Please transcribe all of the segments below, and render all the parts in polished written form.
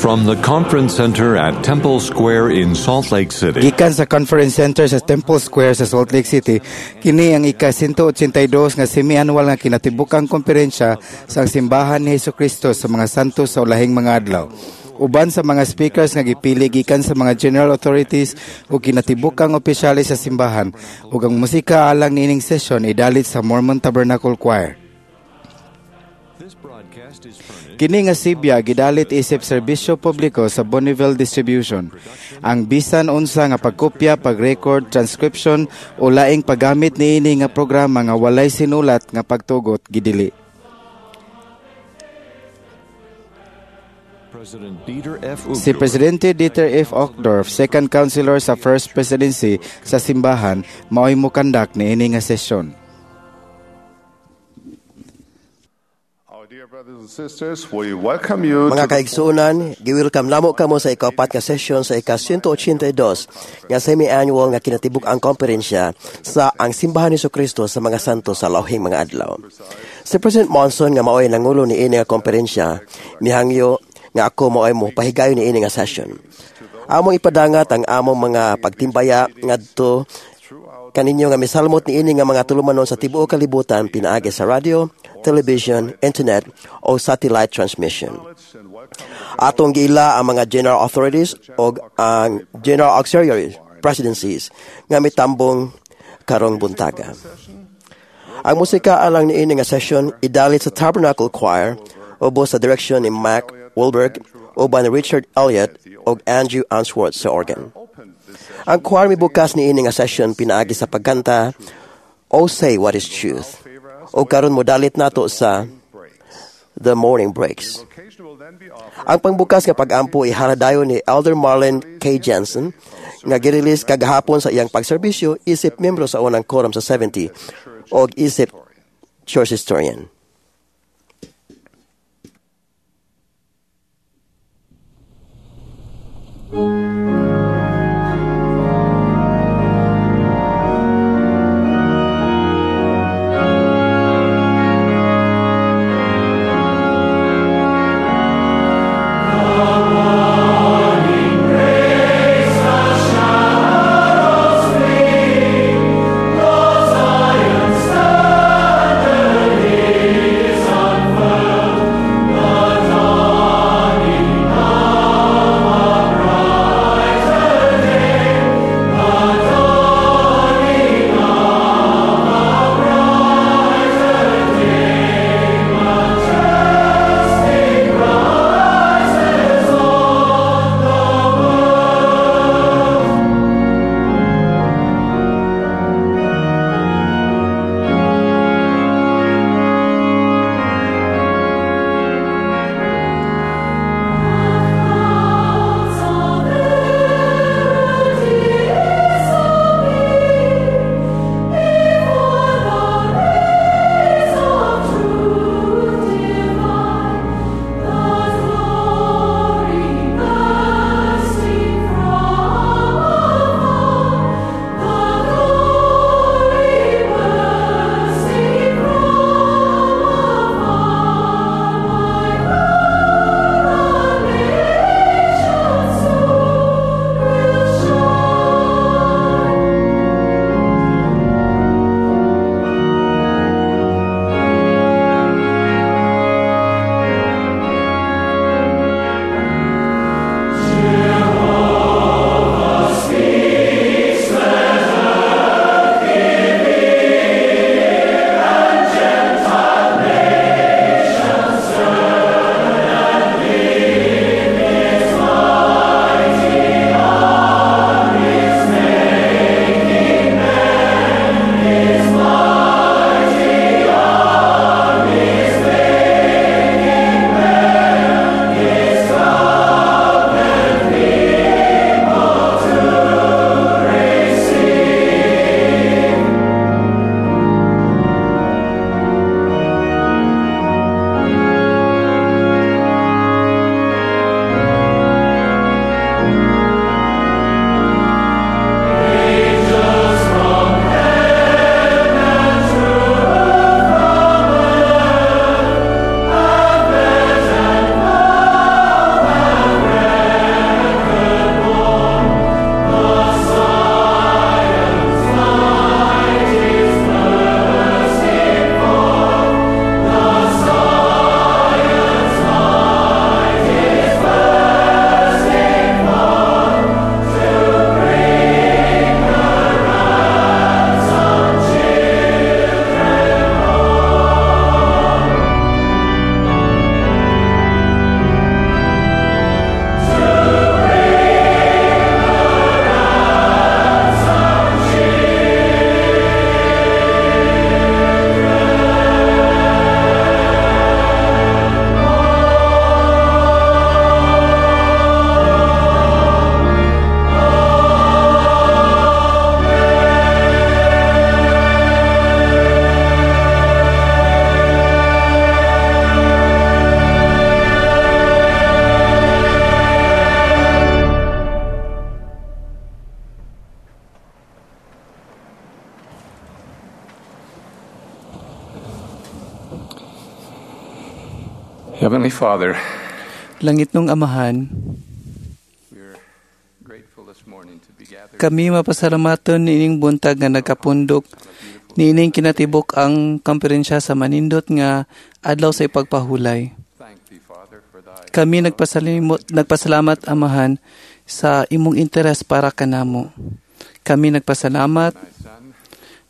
From the Conference Center at Temple Square in Salt Lake City. Gikan sa Conference Center sa Temple Square sa Salt Lake City, kini ang ika-182 nga semi-annual nga kinatibukang komperensya sa Simbahan ni Hesukristo sa mga santos sa ulahing mga adlaw. Uban sa mga speakers nga gipili gikan sa mga general authorities ug kinatibukang opisyales sa simbahan, ug ang musika alang niining session idalit sa Mormon Tabernacle Choir. Kini nga sibya gidalit isip serbisyo publiko sa Bonneville Distribution. Ang bisan unsa nga pagkopya, pag-record, transcription o laing paggamit niini nga programa nga walay sinulat nga pagtugot gidili. Si Presidente Dieter F. Uchtdorf, second counselor sa First Presidency sa simbahan, mao'y mokandak niini nga sesyon. Mga kaigsuonan, gi-welcome namo kamo sa ikaapat nga session sa ika-182 nga semi-annual nga kinatibuk-ang komperensya sa ang Simbahan ni Kristo sa mga santo sa lauhing mga adlaw. Si President Monson nga maoy nangulo niini nga komperensya, mihangyo nga ako maoy mo pahigayon niini nga session. Among ipadangat ang among mga pagtimbaya ngadto kaninyo nga misalmot niini nga mga tulumanon sa tibuok kalibutan pinaagi sa radio, television, internet o satellite transmission. Atong giila ang mga general authorities o ang general auxiliary presidencies nga mitambong karong buntaga. Ang musika alang niini nga session idalit sa Tabernacle Choir ubo sa direksyon ni Mac Wahlberg uban ni Richard Elliott ug Andrew Answorth sa organ. Ang choir mibukas niini nga session pinaagi sa pagkanta O Say What Is Truth, o karon modalit nato sa The Morning Breaks. Ang pangbukas nga pag-ampo iharadayon ni Elder Marlin K. Jensen nga girelease kagahapon sa iyang pagserbisyo isip miyembro sa unang quorum sa 70 og isip church historian. The morning breaks, the shadows flee, the Zion standard. Heavenly Father, Langit nung Amahan, we're grateful this morning to be gathered kami mapasalamaton niining buntag nga nagkapundok niining kinatibok ang kamperensya sa manindot nga adlaw sa ipagpahulay. Thank thee, Father, for thy Kami nagpasalamat, Amahan, sa imong interes para kanamo. Kami nagpasalamat thy Son,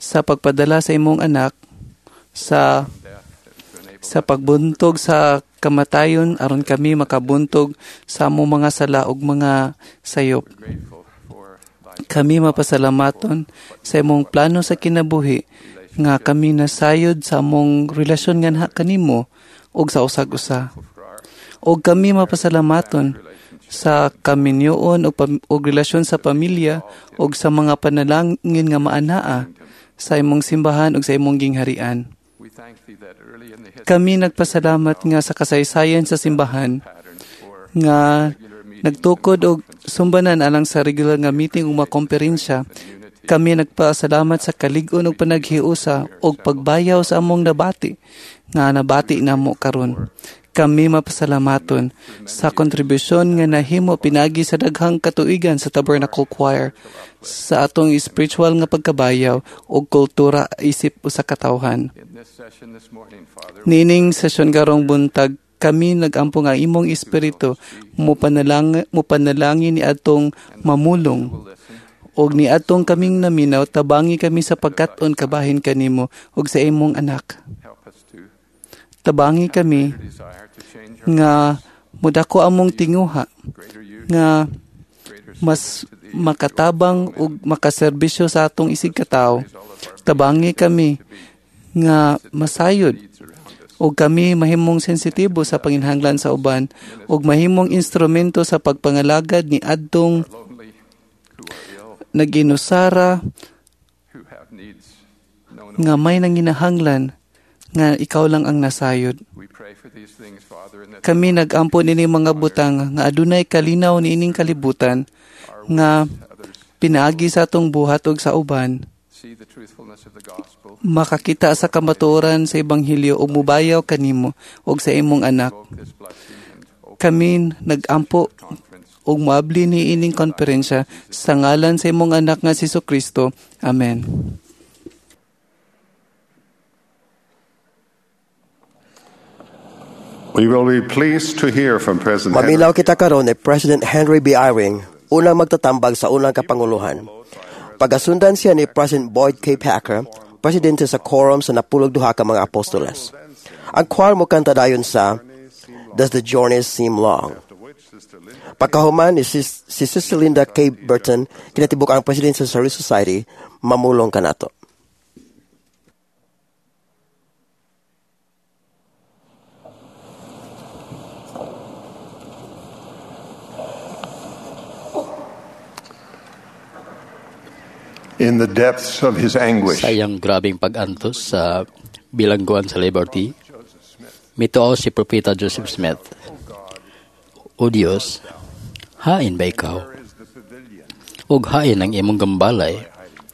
sa pagpadala sa imong anak sa death to enable sa pagbuntog sa kamatayon aron kami makabuntog sa among mga sala ug mga sayop. grateful for thy Kami mapasalamaton sa imong plano sa kinabuhi nga kami nasayod sa among relasyon nga kanimo ug sa usag-usa. for our Og kami mapasalamaton sa kaminyoon og relasyon sa pamilya ug sa mga panalangin nga maanaa sa imong simbahan ug sa imong gingharian. We thank thee that early in the history Kami nagpasalamat nga sa kasaysayan sa simbahan pattern for nga regular meetings nagtukod og sumbanan alang sa regular nga meeting ug mga komperensya. Kami nagpasalamat sa kalig-on ug panaghiusa ug pagbayaw sa among nabati nga nabati namo karon. Kami mapasalamaton sa kontribusyon nga nahimo pinagi sa daghang katuigan sa Tabernacle Choir sa atong spiritual nga pagkabayaw ug kultura isip usa ka tawhan. in this session this morning, Father, Nining sesyon karong buntag, kami nagampo nga imong espiritu mo panalangin ni atong mamulong will listen og ni atong kaming naminaw, tabangi kami sa pagkat-on kabahin kanimo ug sa imong anak. help us to Tabangi kami desire to change our nga mudako among tinguha greater use, nga greater mas service to thee, makatabang ug makaserbisyo sa atong isig katawo. all of our Tabangi kami nga masayod needs around us. ug kami mahimong sensitibo sa panginhanglan sa uban ug mahimong instrumento sa pagpangalagad ni adtong Lonely, who are ill, naginusara who have needs known nga may nanginahanglan nga ikaw lang ang nasayod. We pray for these things, Father, and that Kami nagampo nining mga butang nga adunay kalinaw niining kalibutan our nga witness to others pinaagi sa atong buhat ug sa uban see the truthfulness of the gospel, makakita sa kamatuoran sa ebanghelyo ug mubayaw kanimo ug sa imong anak. invoke this blessing and open Kami nagampo conference. ug moabli ni ining konferensya sa ngalan sa imong anak nga si Kristo. Amen. We will be pleased to hear from President Henry. Mamilaw kita karon ni President Henry B. Eyring, unang magtatambag sa unang kapanguluhan. Pagasundan siya ni President Boyd K. Packer, presidente sa quorum sa napulog duha ka mga apostoles. Ang choir mo kanta dayon sa Does the Journey Seem Long? Pagkahuman ni si Sister Linda K. Burton, kinatibuk ang presidente sa Service Society, mamulong kanato. In the depths of his anguish, Sa iyang grabing pag-antos sa bilangguan sa Liberty, mituo si Propeta Joseph Smith, "O Dios, hain ba ikaw? Ug hain ang imong gambalay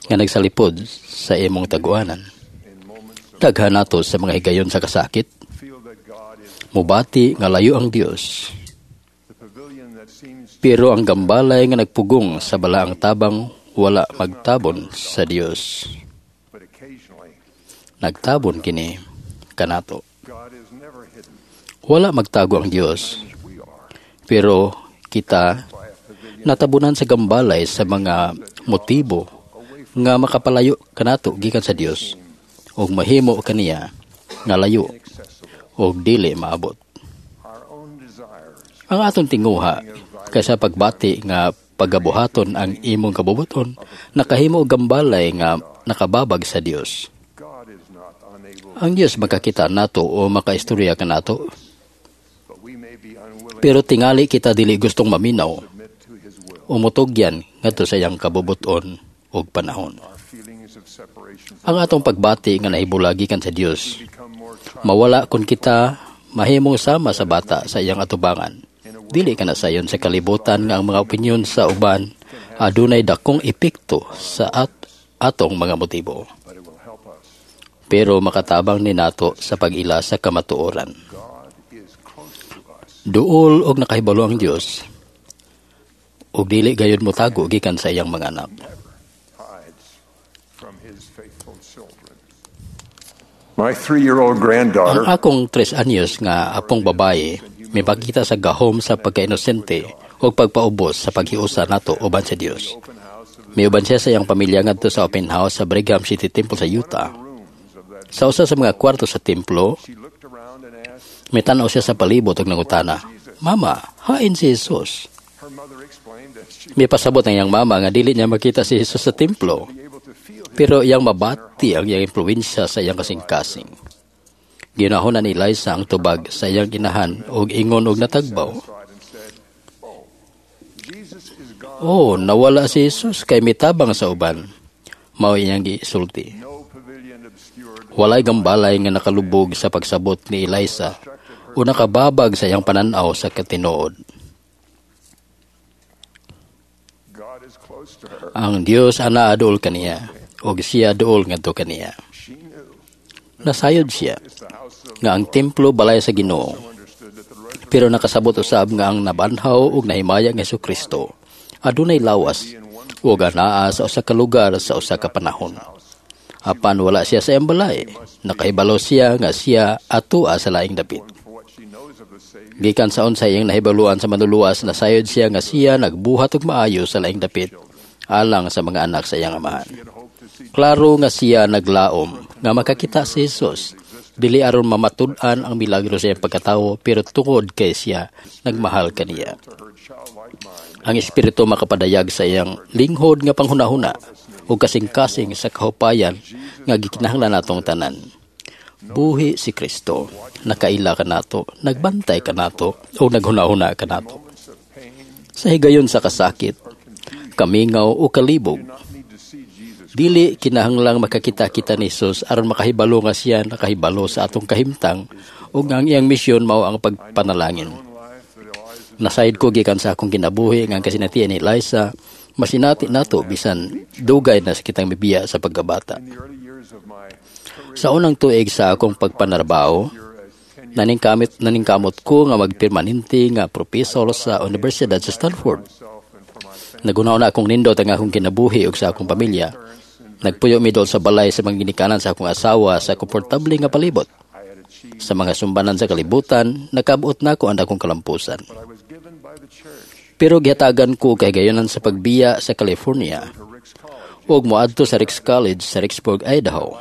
nga nagsalipod sa imong taguanan." Daghan nato sa mga higayon sa kasakit, feel that God is mubati nga layo ang Dios, the pavilion that seems pero ang gambalay nga nagpugong sa balaang tabang wala magtabon sa Dios. but occasionally Nagtabon kini kanato. God is never hidden. Wala magtago ang Dios, We are pero kita by a pavilion natabunan sa gambalay sa mga motibo nga makapalayo kanato gikan sa Dios ug mahimo kaniya nga layo inaccessible. ug dili maabot. Our own desires Ang atong tinguha kaysa pagbati nga pagabuhaton ang imong kabubuton nakahimo og gambalay nga nakababag sa Dios. God is not unable, Ang Dios makakita nato o makaistorya kanato, but we may be unwilling pero tingali kita dili gustong maminaw to submit to his will. o mutugyan ngadto sa iyang kabubuton ug panahon. Our feelings of separation Ang atong pagbati nga nahibulagi kan sa Dios become more mawala kun kita mahimong sama sa bata sa iyang atubangan. Dili ka na sayon sa kalibutan nga ang mga opinyon sa uban adunay dakong epekto sa atong mga motibo. but it will help us Pero makatabang ni nato sa pag-ila sa kamatuoran. God is closer Duol og nakahibalo ang Dios ug dili gayud motago gikan sa iyang mga anak. My 3-year-old granddaughter, Ang akong 3 anyos nga apong babae mipakita sa gahom sa pagkainosente ug pagpaubos sa paghiusa nato uban sa Dios. Miuban siya sa iyang pamilya ngadto sa open house sa Brigham City Temple sa Utah. Sa usa sa mga kwarto sa templo, mitan-aw siya sa palibot ug nangutana, "Mama, hain si Jesus?" Mipasabot ang iyang mama nga dili niya makita si Jesus sa templo, pero iyang mabati ang iyang impluwensya sa iyang kasing-kasing. Ginahon ni Eliza ang tubag sa iyang inahan ug ingon og natagbaw, "Oh, nawala si Jesus kay mitabang sa uban." Mao iyang gisulti. Walay gambalay nga nakalubog sa pagsabot ni Eliza o nakababag sa iyang pananaw sa katinuod. Ang Dios ana duol kaniya ug siya duol ngadto kaniya. Nasayod siya nga ang templo balay sa Ginoo, pero nakasabot usab nga ang nabanhaw ug nahimaya nga Hesukristo adunay lawas ug anaa sa usa ka lugar sa usa ka panahon. Apan wala siya sa iyang balay, nakahibalo siya nga siya atua sa laing dapit. Gikan sa unsa iyang nahibaluan sa manluluwas, nasayod siya nga siya nagbuhat og maayo sa laing dapit alang sa mga anak sa iyang amahan. Klaro nga siya naglaom nga makakita si Jesus, dili aron mamatud-an ang milagro sa iyang pagkatawo, pero tungod kay siya nagmahal kaniya. Ang espiritu makapadayag sa iyang linghod nga panghunahuna ug kasing-kasing sa kahupayan nga gikinahanglan natong tanan. Buhi si Kristo, nakaila kanato, nagbantay kanato, o naghunahuna kanato. Sa higayon sa kasakit, kamingaw o kalibog, dili kinahanglang makakita-kita ni Jesus aron makahibalo nga siya nakahibalo sa atong kahimtang ug ang iyang misyon mao ang pagpanalangin. Nasayod ko gikan sa akong kinabuhi nga ang kasinatian ni Eliza masinati nato bisan dugay na sa kitang mibiya sa pagkabata. Sa unang tuig sa akong pagpanarbaho, naningkamot ko nga magpermanente nga propesor sa Universidad sa Stanford. Nagunaw na akong nindot ang akong kinabuhi ug sa akong pamilya. Nagpuyo mi dool sa balay sa mga ginikanan sa akong asawa sa komportable nga palibot. Sa mga sumbanan sa kalibutan, nakabot na ko ang akong kalampusan. Pero gihatagan ko kay gayonan sa pagbiya sa California ug moadto sa Ricks College sa Ricksburg, Idaho.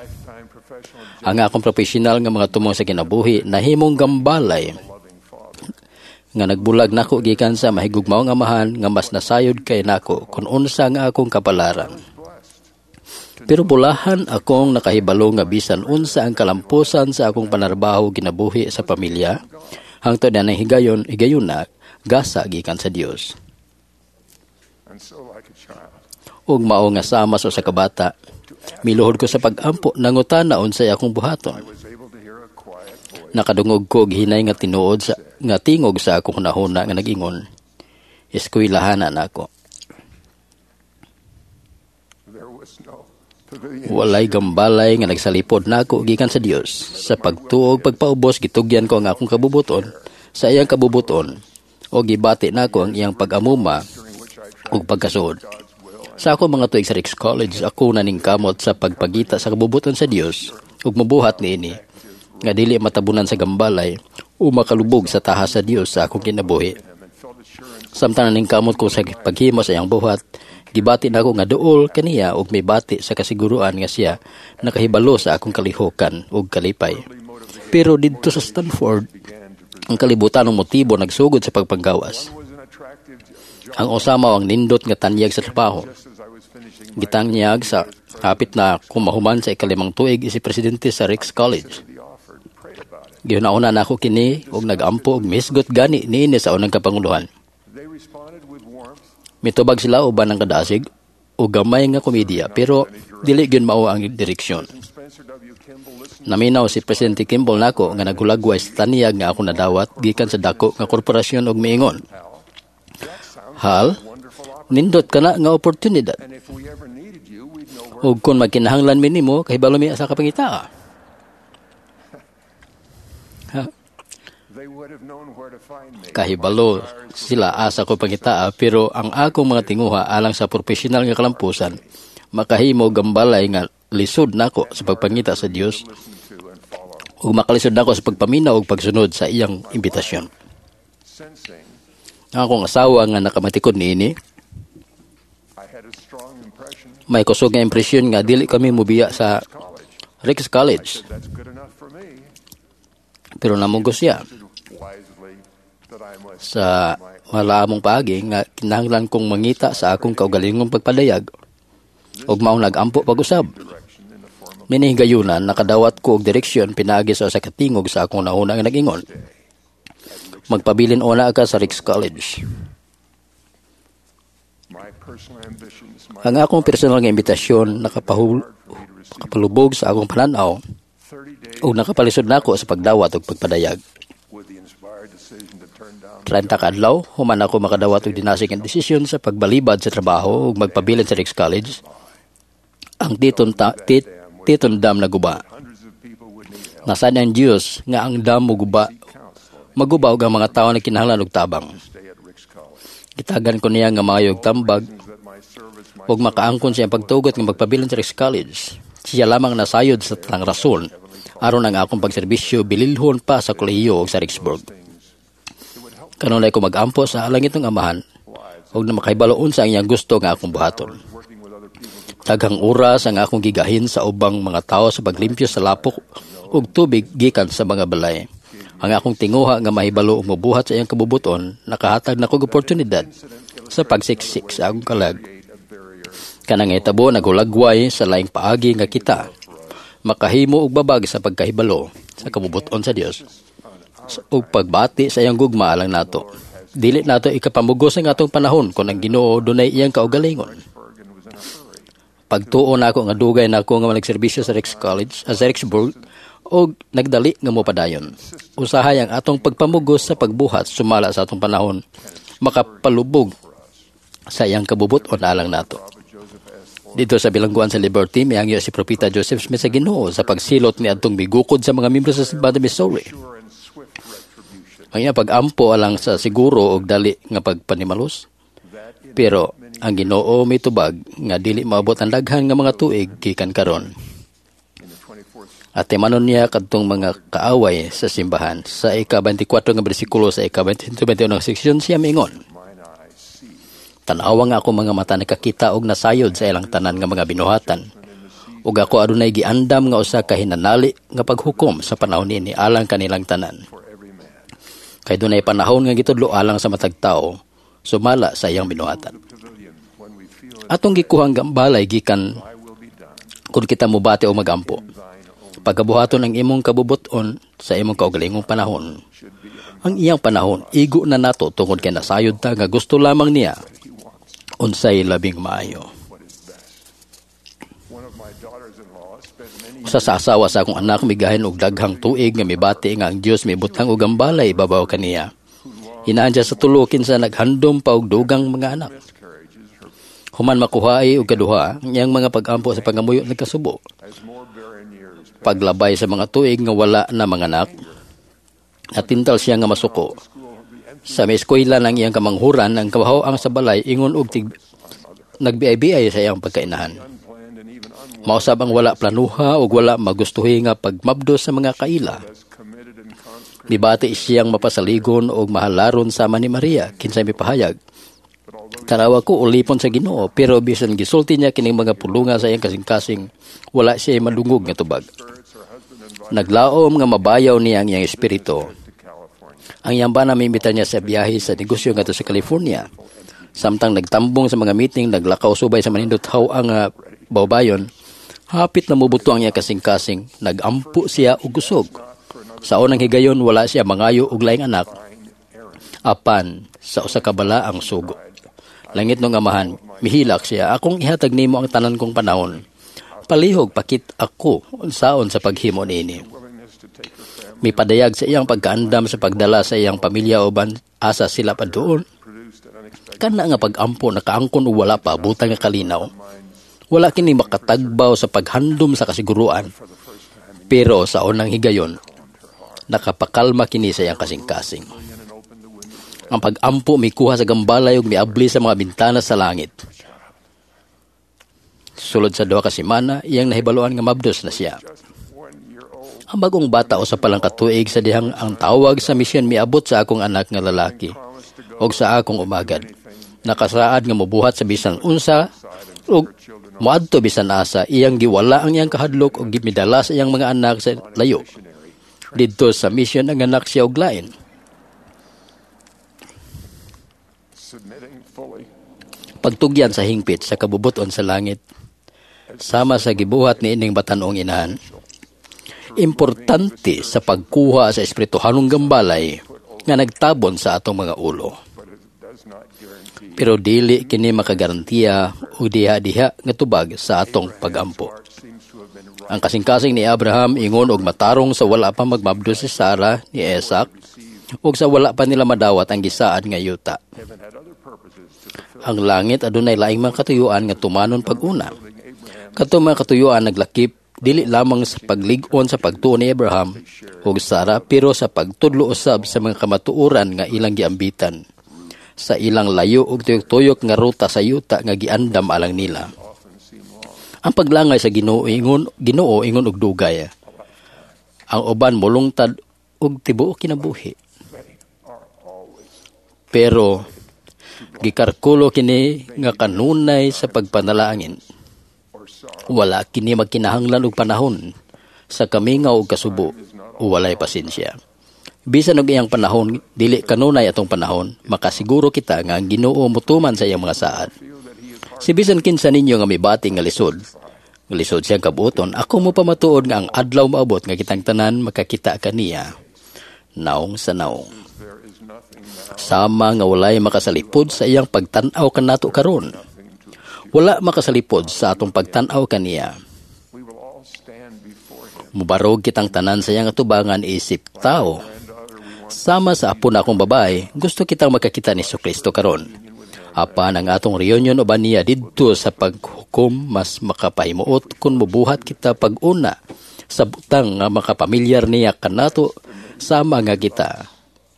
Ang akong profesional nga mga tumong sa kinabuhi nahimong gambalay nga nagbulag nako gikan sa mahigugmaong amahan nga mas nasayod kay nako kun unsa nga akong kapalaran. Pero bulahan akong nakahibalo nga bisan unsa ang kalampusan sa akong panarbaho kinabuhi sa pamilya, hangtod na nang higayon higayuna gasa gikan sa Dios. Ug mao nga sama sa usa ka bata, miluhod ko sa pag-ampo nangutana unsay akong buhaton. Nakadungog ko og hinay nga tinuod sa nga tingog sa akong hunahuna nga nag-ingon, "Eskwelahan na nako." Walay gambalay nga nagsalipod nako gikan sa Dios. Sa pagtuog pagpaubos gitugyan ko ang akong kabubuton sa iyang kabubuton o gibati nako ang iyang pag-amuma ug pagkasuod. Sa ako mga tuig sa Ricks College, ako naningkamot sa pagpagita sa kabubuton sa Dios ug mabuhat niini nga dili matabunan sa gambalay o makalubog sa tahas sa Dios sa akong kinabuhi. Samtang naningkamot ko sa paghimo sa iyang buhat, gibati nako nga duol kaniya ug mibati sa kasiguruan nga siya nakahibalo sa akong kalihokan ug kalipay. Pero didto sa Stanford, ang kalibutan ng motibo nagsugod sa pagpanggawas. Ang usama ang nindot nga tanyag sa trabaho. Gitanyag sa hapit na kumahuman sa 5 tuig isi presidente sa Ricks College. Gihuna-una nako kini ug nagampo og misgot gani niini sa unang kapanguluhan. Mitubag sila uban ang kadasig o gamay nga komedya, pero dili gyud mao ang direksyon. Naminaw si Presidente Kimball nako nga naghulagway sa taniyag nga ako nadawat gikan sa dako nga korporasyon og miingon, "Hal, nindot kana nga oportunidad. Ug kung magkinahanglan mi nimo, kahibalo mi asa ka pangitaa." Ha? Kahibalo sila asa ko pangitaa, pero ang akong mga tinguha alang sa profesional nga kalampusan makahimo gambalay nga lisod nako sa pagpangita sa Dios ug makalisod nako sa pagpaminaw ug pagsunod sa iyang imbitasyon. Ang akong asawa nga nakamatikod niini, may kusog nga impresyon nga dili kami mobiya sa Ricks College. Pero namugos siya sa malaamong paagi nga kinahanglan kong mangita sa akong kaugalingong pagpadayag ug maong nagampo pag-usab. Minihigayunan nakadawat ko og direksyon pinaagi sa usa ka tingog sa akong nauna nga nag-ingon. Magpabilin una ka sa Ricks College. Ang akong personal nga imbitasyon nakapalubog sa akong pananaw ug nakapalisod nako sa pagdawat ug pagpadayag. 30 ka adlaw, human ako makadawat og dinasig ang desisyon sa pagbalibad sa trabaho ug magpabilin sa Ricks College. Ang Teton Dam naguba. Nasad ang Dios nga ang dam moguba, maguba og ang mga tawo na kinahanglan og tabang. Gitagan ko niya nga maayo og tambag ug makaangkon sa iyang pagtugot nga magpabilin sa Ricks College. Siya lamang nasayod sa tanang rason aron ang akong pagserbisyo bililhon pa sa kolehiyo ug sa Ricksburg. Kanunay ko magampo sa langitong Amahan ug na makahibalo unsa ang iyang gusto nga akong buhaton. Daghang oras ang akong gigahin sa ubang mga tawo sa paglimpyo sa lapok ug tubig gikan sa mga balay. Ang akong tinguha nga mahibalo ug mobuhat sa iyang kabubuton nakahatag nako og oportunidad sa pagsiksik sa akong kalag. Kanang hitabo naghulagway sa laing paagi nga kita makahimo og babag sa pagkahibalo sa kabubuton sa Dios ug pagbati sa iyang gugma alang nato. Dili nato ikapamugos ang atong panahon kon ang Ginoo dunay iyang kaugalingon. Pagtuo nako nga dugay nako nga nagserbisyo sa Ricks College, sa Ricksburg, og nagdali nga mopadayon. Usahay ang atong pagpamugos sa pagbuhat sumala sa atong panahon makapalubog sa iyang kabubuton alang nato. Dito sa bilangguan sa Liberty, mihangyo si Propeta Joseph Smith sa Ginoo sa pagsilot ni adtong migukod sa mga miyembro sa simbahan Missouri. Ang iyang pag-ampo alang sa siguro og dali nga pagpanimalos. Pero ang Ginoo mitubag nga dili maabot ang daghan nga mga tuig gikan karon. At timanon niya kadtong mga kaaway sa simbahan. Sa ika-24 nga bersikulo sa ika-21 nga seksyon siya miingon. Tan-awa nga ako mga mata nakakita og nasayod sa ilang tanan nga mga binuhatan. Ug ako adunay giandam nga usa ka hinanali nga paghukom sa panahon niini alang kanilang tanan. Kay dunay panahon nga gitudlo alang sa matag tawo sumala sa iyang binuhatan. Atong gikuhang gambalay gikan kun kita mobati o magampo. Pagabuhaton ang imong kabubuton sa imong kaugalingong panahon. Ang iyang panahon igo na nato tungod kay nasayod ta nga gusto lamang niya unsay labing maayo. Usa sa asawa sa akong anak migahin og daghang tuig nga mibati nga ang Dios mibutang og gambalay babaw kaniya. Hinaan siya sa tulo kinsa naghandom pa og dugang mga anak. Human makuhaay og kaduha, iyang mga pag-ampo sa pangamuyo nagkasubo. Paglabay sa mga tuig nga wala na mga anak, natintal siya nga masuko. Sa may eskwela ng iyang kamanghuran, ang kabahoang sa balay ingon og nagbiay-biay sa iyang pagkainahan. Mausab ang wala planuha ug wala magustuhi nga pagmabdo sa mga kaila. Mibati siyang mapasaligon og mahalaron sama ni Maria, kinsay mipahayag. Tanawa ko ulipon sa Ginoo, pero bisan gisulti niya kining mga pulunga sa iyang kasing-kasing, wala siya madungog nga tubag. Naglaom nga mabayaw niya ang iyang espiritu. Ang iyang bana miimbita niya sa biyahe sa negosyo ngadto sa California. Samtang nagtambong sa mga meeting, naglakaw subay sa manindot haw ang bawbayon, hapit na mubuto ang iyang kasing-kasing, nagampo siya og kusog. Sa unang higayon, wala siya mangayo og laing anak, apan sa usa ka bala ang sugo. Langit nung amahan, mihilak siya, akong ihatag nimo ang tanan kong panahon. Palihog pakit ako unsaon sa paghimo niini. Mipadayag sa iyang pagkaandam sa pagdala sa iyang pamilya uban asa sila pa doon. Kana nga pag-ampo nakaangkon og wala pa abutan nga kalinaw. Wala kini makatagbaw sa paghandom sa kasiguruan. Pero sa unang higayon, Nakapakalma kini sa iyang kasing-kasing. Ang pag-ampo mikuha sa gambalay ug miabli sa mga bintana sa langit. Sulod sa 2 ka semana, iyang nahibaluan nga mabdos na siya. Ang bagong bata usa pa lang ka tuig sa dihang ang tawag sa misyon miabot sa akong anak nga lalaki og sa akong umagad. Nakasaad nga mobuhat sa bisan unsa ug moadto bisan asa, iyang giwala ang iyang kahadlok ug gimidala sa iyang mga anak sa layo. Didto sa misyon ang anak siya og lain. Pagtugyan sa hingpit sa kabubuton sa langit, sama sa gibuhat ni ining batan-ong inahan. Importante sa pagkuha sa espirituhanong gambalay nga nagtabon sa atong mga ulo. Pero dili kini makagarantiya og diha-diha nga tubag sa atong pagampo. Ang kasing-kasing ni Abraham ingon og matarong sa wala pa magmabdos si Sara ni Isaac ug sa wala pa nila madawat ang gisaad nga yuta. Ang langit adunay laing mga katuyuan nga tumanon pag-una. Kadtong mga katuyuan naglakip dili lamang sa paglig-on sa pagtuo ni Abraham ug Sara, pero sa pagtudlo usab sa mga kamatuoran nga ilang giambitan sa ilang layo ug tuyok-tuyok nga ruta sa yuta nga giandam alang nila. Ang paglangay sa Ginoo ingon og dugay. Ang uban molungtad og tibuok kinabuhi. Pero gikarkulo kini nga kanunay sa pagpanalangin. Wala kini magkinahanglan og panahon sa kamingaw og kasubo o walay pasensya. Bisan og iyang panahon, dili kanunay atong panahon, makasiguro kita nga ang Ginoo motuman sa iyang mga saad. Si bisan kinsa ninyo nga mibati nga lisod siyang kabuoton, ako mo pamatuod nga ang adlaw maabot nga kitang tanan makakita kaniya, naong sa naong. Sama nga walay makasalipod sa iyang pagtan-aw kanato karon. Wala makasalipod sa atong pagtan-aw kaniya. Mubarog kitang tanan sa iyang atubangan isip tao. Sama sa apo na akong babae, gusto kitang makakita ni Jesucristo karon. Apan ang atong reunion uban niya didto sa paghukom mas makapahimuot kung mubuhat kita pag-una sa butang nga makapamilyar niya kanato sama nga kita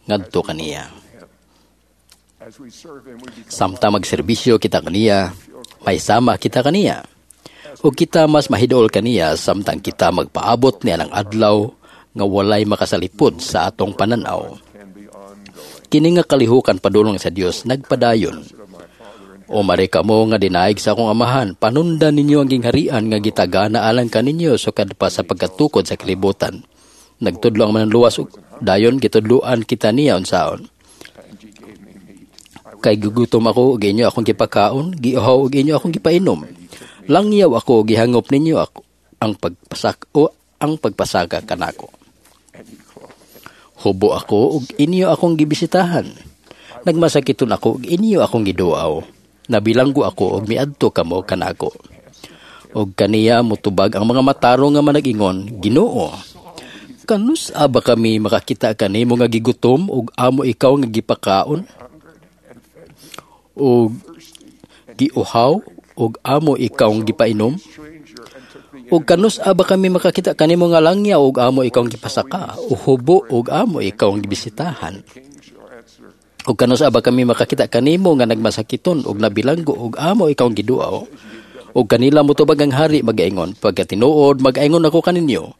ngadto kaniya. Samtang magserbisyo kita kaniya, may sama kita kaniya. O kita mas mahidol kaniya samtang kita magpaabot niya ng adlaw nga walay makasalipod sa atong pananaw. Kini nga kalihukan padulong sa Dios nagpadayon. O mare kamo nga dinaig sa akong amahan, panundan ninyo ang gingharian nga gitagana alang kaninyo sukad pa sa pagkatukod sa kalibutan. Nagtudlo ang mananluwas ug dayon gitudloan kita niya unsaon. Kay gugutom ako ug inyo akong gipakaon, giuhaw ug inyo akong gipainom. Langyaw ako gihangop ninyo ako ang pagpasak o ang pagpasaka kanako. Hubo ako ug inyo akong gibisitahan. Nagmasakiton ako ug inyo akong giduaw. Nabilanggo ako ug miadto kamo kanako. Ug kaniya motubag ang mga matarong nga manag-ingon, Ginoo, kanus aba kami makakita kanimo nga gigutom ug amo ikaw nga gipakaon? Ug giuhaw ug amo ikaw nga gipainom? Ug kanus aba kami makakita kanimo nga langyaw ug amo ikaw ang gipasaka, o hubo ug amo ikaw ang gibisitahan? Ug kanus aba kami makakita kanimo nga nagmasakiton ug nabilanggo ug amo ikaw ang giduaw? Ug kanila motubag ang hari magaingon, pagkatinuod magaingon ako kaninyo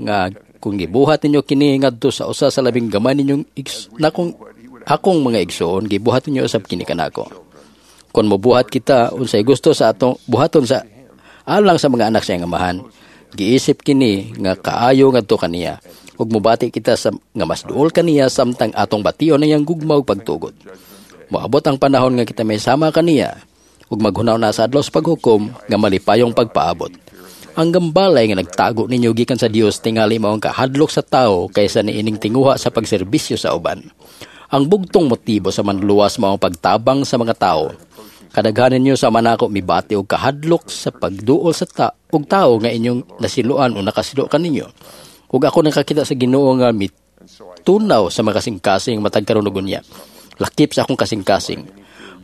nga kung gibuhat ninyo kini ngadto sa usa sa labing gamay ninyong nakong akong mga igsoon, gibuhat ninyo usab kini kanako. Kon mobuhat kita unsay gusto sa atong buhaton sa alang sa mga anak sa iyang amahan, giisip kini nga kaayo ngadto kaniya, ug mobati kita sa nga mas duol kaniya samtang atong bation ang iyang gugma ug pagtugot. Moabot ang panahon nga kita may sama kaniya ug maghunaw na sa adlaw sa paghukom nga malipayong pagpaabot. Ang gambalay nga nagtago ninyo gikan sa Dios tingali mao ang kahadlok sa tawo kaysa niining tinguha sa pagserbisyo sa uban. Ang bugtong motibo sa manluwas mao ang pagtabang sa mga tawo. Kadaghanan ninyo sa manako mibati og kahadlok sa pagduol sa og tawo nga inyong nasiluan o nakasilo kaninyo. Ug ako nakakita sa Ginoo nga mitunaw sa mga kasing-kasing matag karon ug unya. Lakip sa akong kasing-kasing.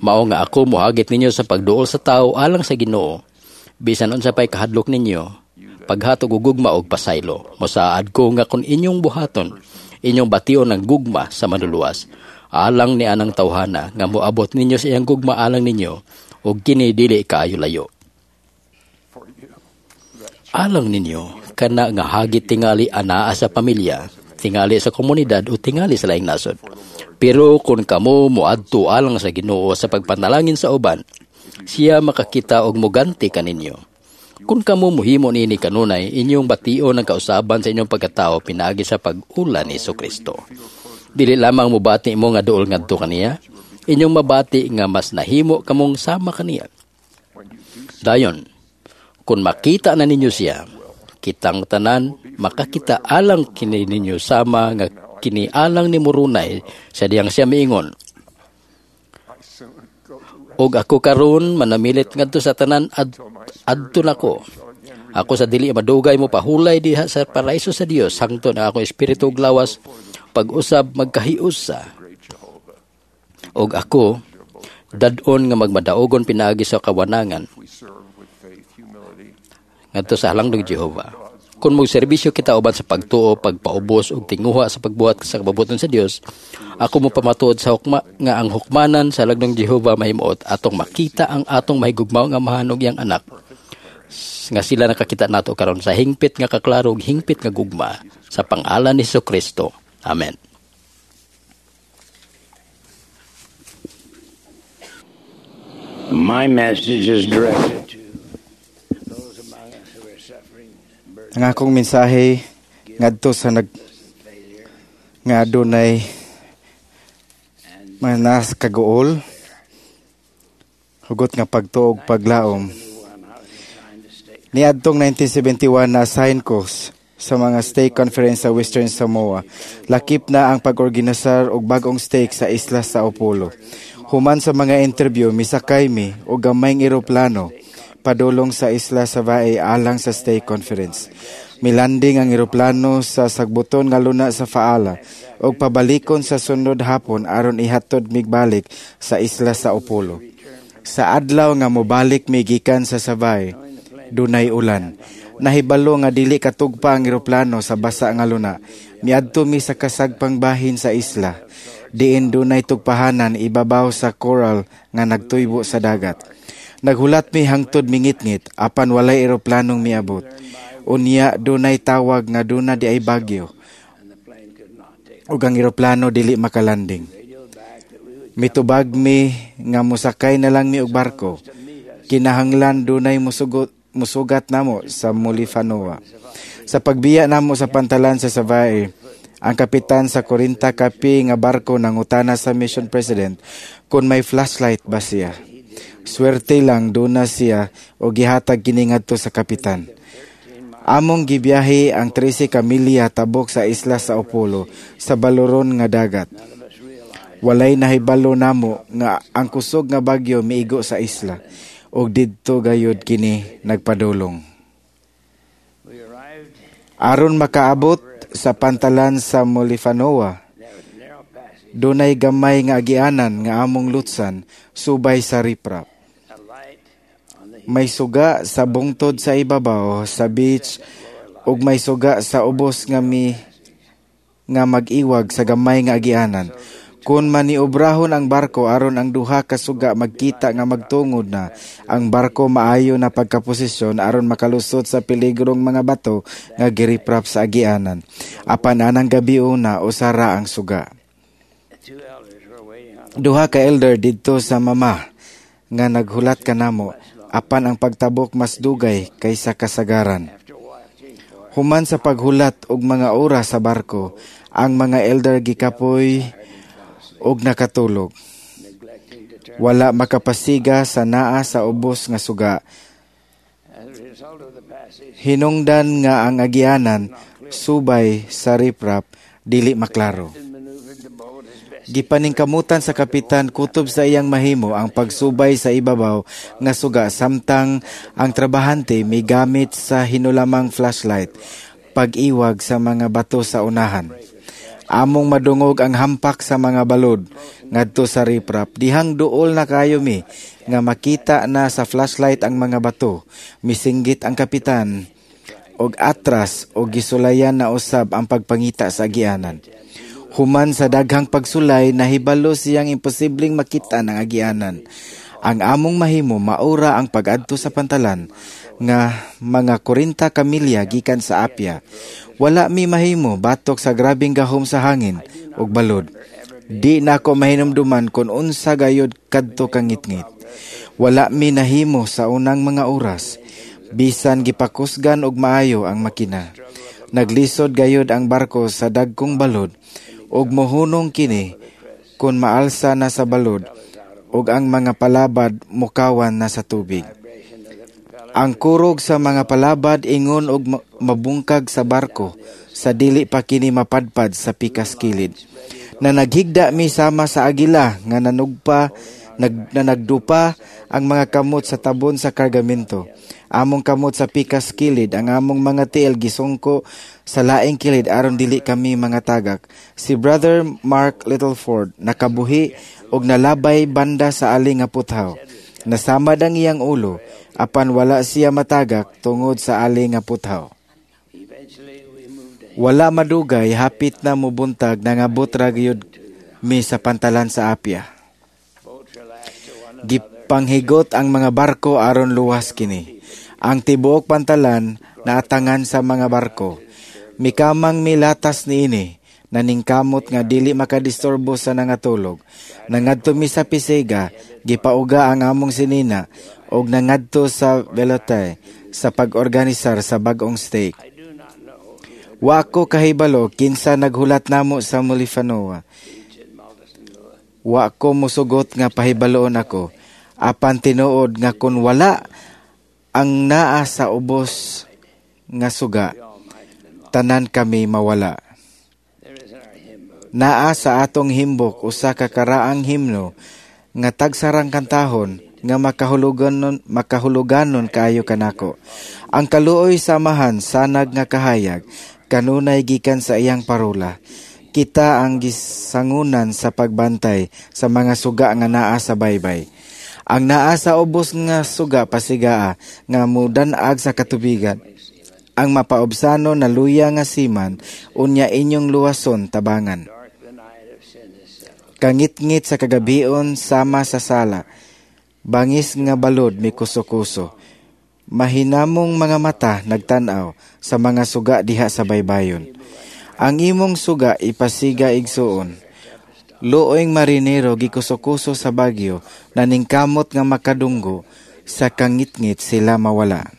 Mao nga ako mohagit ninyo sa pagduol sa tawo alang sa Ginoo. Bisan unsa pay kahadlok ninyo, paghatog og gugma og pasaylo. Mosaad ko nga kung inyong buhaton, inyong bation ang gugma sa manluluwas alang ni anang tawhana nga moabot ninyo sa iyang gugma alang ninyo ug kini dili kaayo layo. Alang ninyo kana nga hagit tingali anaa sa pamilya, tingali sa komunidad o tingali sa laing nasod. Pero kung kamo moadto alang sa Ginoo sa pagpanalangin sa uban, siya makakita og moganti kaninyo. Kung kamo muhimo niini kanunay, inyong bation ang kausaban sa inyong pagkatao pinaagi sa pag-ula ni Kristo. Dili lamang mobati mo nga duol ngadto kaniya, inyong mabati nga mas nahimo kamong sama kaniya. Dayon, kung makita na ninyo siya, kitang tanan makakita alang kini ninyo sama nga kini alang ni Moroni sa diyang siya miingon. Og ako karon manamilit ngadto sa tanan adto nako. Ako sa dili madugay mo pahulay diha sa paraiso sa Dios hangtod ang akong espiritu ug lawas pag-usab magkahiusa. Og ako dad-on nga magmadaogon pinaagi sa kawanangan ngadto sa halangdong Jehova. Kung magserbisyo kita uban sa pagtuo, pagpaubos ug tinguha sa pagbuhat sa kababuton sa Dios, ako mo pamatuod sa hukma nga ang hukmanan sa halangdong Jehova mahimuot atong makita ang atong mahigugmaong amahan ug iyang anak nga sila nakakita nato karon sa hingpit nga kaklaro ug hingpit nga gugma sa pangalan ni Kristo. Amen. My message is directed to those among us who are suffering Ang akong mensahe ngadto sa nag nga adunay mga nas kaguol, hugot nga pagtuog paglaom. Niadtong 1971 na assign ko sa mga stake conference sa Western Samoa. Lakip na ang pag-organisar og bag-ong stake sa isla sa Upolo. Human sa mga interview, misakay mi og gamayng eroplano padulong sa isla sa Vae alang sa stake conference. Milanding ang eroplano sa sagbuton nga luna sa Faala og pabalikon sa sunod hapon aron ihatod migbalik sa isla sa Upolo. Sa adlaw nga mobalik mi gikan sa Savai, dunay ulan. Nahibalo nga dili katugpa ang eroplano sa basa nga luna. Miadto mi sa kasagpang bahin sa isla. Diin dunay tugpahanan ibabaw sa coral nga nagtuybo sa dagat. Naghulat mi hangtod mingitngit apan walay eroplanong miabot. Unya dunay tawag nga duna di ay bagyo ug ang eroplano dili makalanding. Mitubag mi nga mosakay na lang mi og barko. Kinahanglan dunay musugat namo sa Mulifanua. Sa pagbiya namo sa pantalan sa Savaii, ang kapitan sa 40 kapi nga barko nangutana sa mission president kung may flashlight ba siya. Swerte lang duna siya o gihatag kini ngadto sa kapitan. Among gibiyahe ang 13 ka milya tabok sa isla sa Upolo sa baloron nga dagat. Walay nahibalo namo nga ang kusog nga bagyo miigo sa isla ug didto gayud kini nagpadulong. Aron makaabot sa pantalan sa Mulifanua, dunay gamay nga agianan nga among lutsan subay sa riprap. May suga sa bungtod sa ibabaw sa beach ug may suga sa ubos nga mi nga mag-iwag sa gamay nga agianan. Kung maniobrahon ang barko aron ang duha ka suga magkita nga magtungod na ang barko maayo na pagkaposisyon aron makalusot sa peligrong mga bato nga giriprap sa agianan. Apan anang gabi una usara ang suga. Duha ka elder didto sa mama nga naghulat kanamo apan ang pagtabok mas dugay kaysa kasagaran. Human sa paghulat og mga oras sa barko, ang mga elder gikapoy og nakatulog. Wala makapasiga sa naa sa ubos nga suga. Hinungdan nga ang agianan subay sa riprap dili maklaro. Gipaningkamutan sa kapitan kutob sa iyang mahimo ang pagsubay sa ibabaw nga suga samtang ang trabahante migamit sa hinulamang flashlight pag-iwag sa mga bato sa unahan. Among madungog ang hampak sa mga balod ngadto sa riprap. Dihang duol na kayo mi nga makita na sa flashlight ang mga bato. Misinggit ang kapitan. og atras og gisulayan na usab ang pagpangita sa agianan. Human sa daghang pagsulay, nahibalo siyang imposibleng makita ng agianan. Ang among mahimo maura ang pag-adto sa pantalan nga mga 40 ka milya gikan sa Apia. Wala mi mahimo batok sa grabeng gahom sa hangin ug balod. Di nako mahinumduman kon unsa gayud kadto kangitngit. Wala mi nahimo sa unang mga oras, bisan gipakusgan og maayo ang makina. Naglisod gayud ang barko sa dagkong balod ug mohunong kini kon maalsa na sa balod ug ang mga palabad mukawan na sa tubig. Ang kurog sa mga palabad ingon og mabungkag sa barko sa dili pa kini mapadpad sa pikas kilid. Na naghigda mi sama sa agila nga na nagdupa ang mga kamot sa tabon sa kargamento. Among kamot sa pikas kilid, ang among mga tiil gisungko sa laing kilid aron dili kami mga tagak. Si Brother Mark Littleford nakabuhi og nalabay banda sa ali nga puthaw. Nasamad ang iyang ulo, apan wala siya matagak tungod sa ali nga puthaw. Wala madugay, hapit na mubuntag, nangabot ra gyud mi sa pantalan sa Apia. Gipanghigot ang mga barko aron luwas kini. Ang tibuok pantalan naatangan sa mga barko. Mikamang milatas niini, naningkamot nga dili makadisturbo sa nangatulog. Nangadto mi sa Pisega, gipauga ang among sinina, og nangadto sa Velotay sa pag-organisar sa bag-ong stake. Wa ko kahibalo kinsa naghulat namo sa Mulifanua. Wa ko musugot nga pahibaloon ako, apan tinuod nga kun wala ang naa sa ubos nga suga, tanan kami mawala. Naa sa atong himbok usa ka karaang himno nga tagsarang kantahon nga makahuluganon kaayo kanako. Ang kaluoy samahan sanag nga kahayag kanunay gikan sa iyang parola. Kita ang gisangunan sa pagbantay sa mga suga nga naa sa baybay. Ang naa sa ubos nga suga pasigaa nga mudan-ag sa katubigan. Ang mapaobsano na luya nga siman unya inyong luwason tabangan. Kangitngit sa kagabion sama sa sala. Bangis nga balod mikuso-kuso. Mahinamong mga mata nagtan-aw sa mga suga diha sa baybayon. Ang imong suga ipasiga igsuon. Luoing marinero gikuso-kuso sa bagyo, naningkamot nga makadunggo, sa kangitngit sila mawala.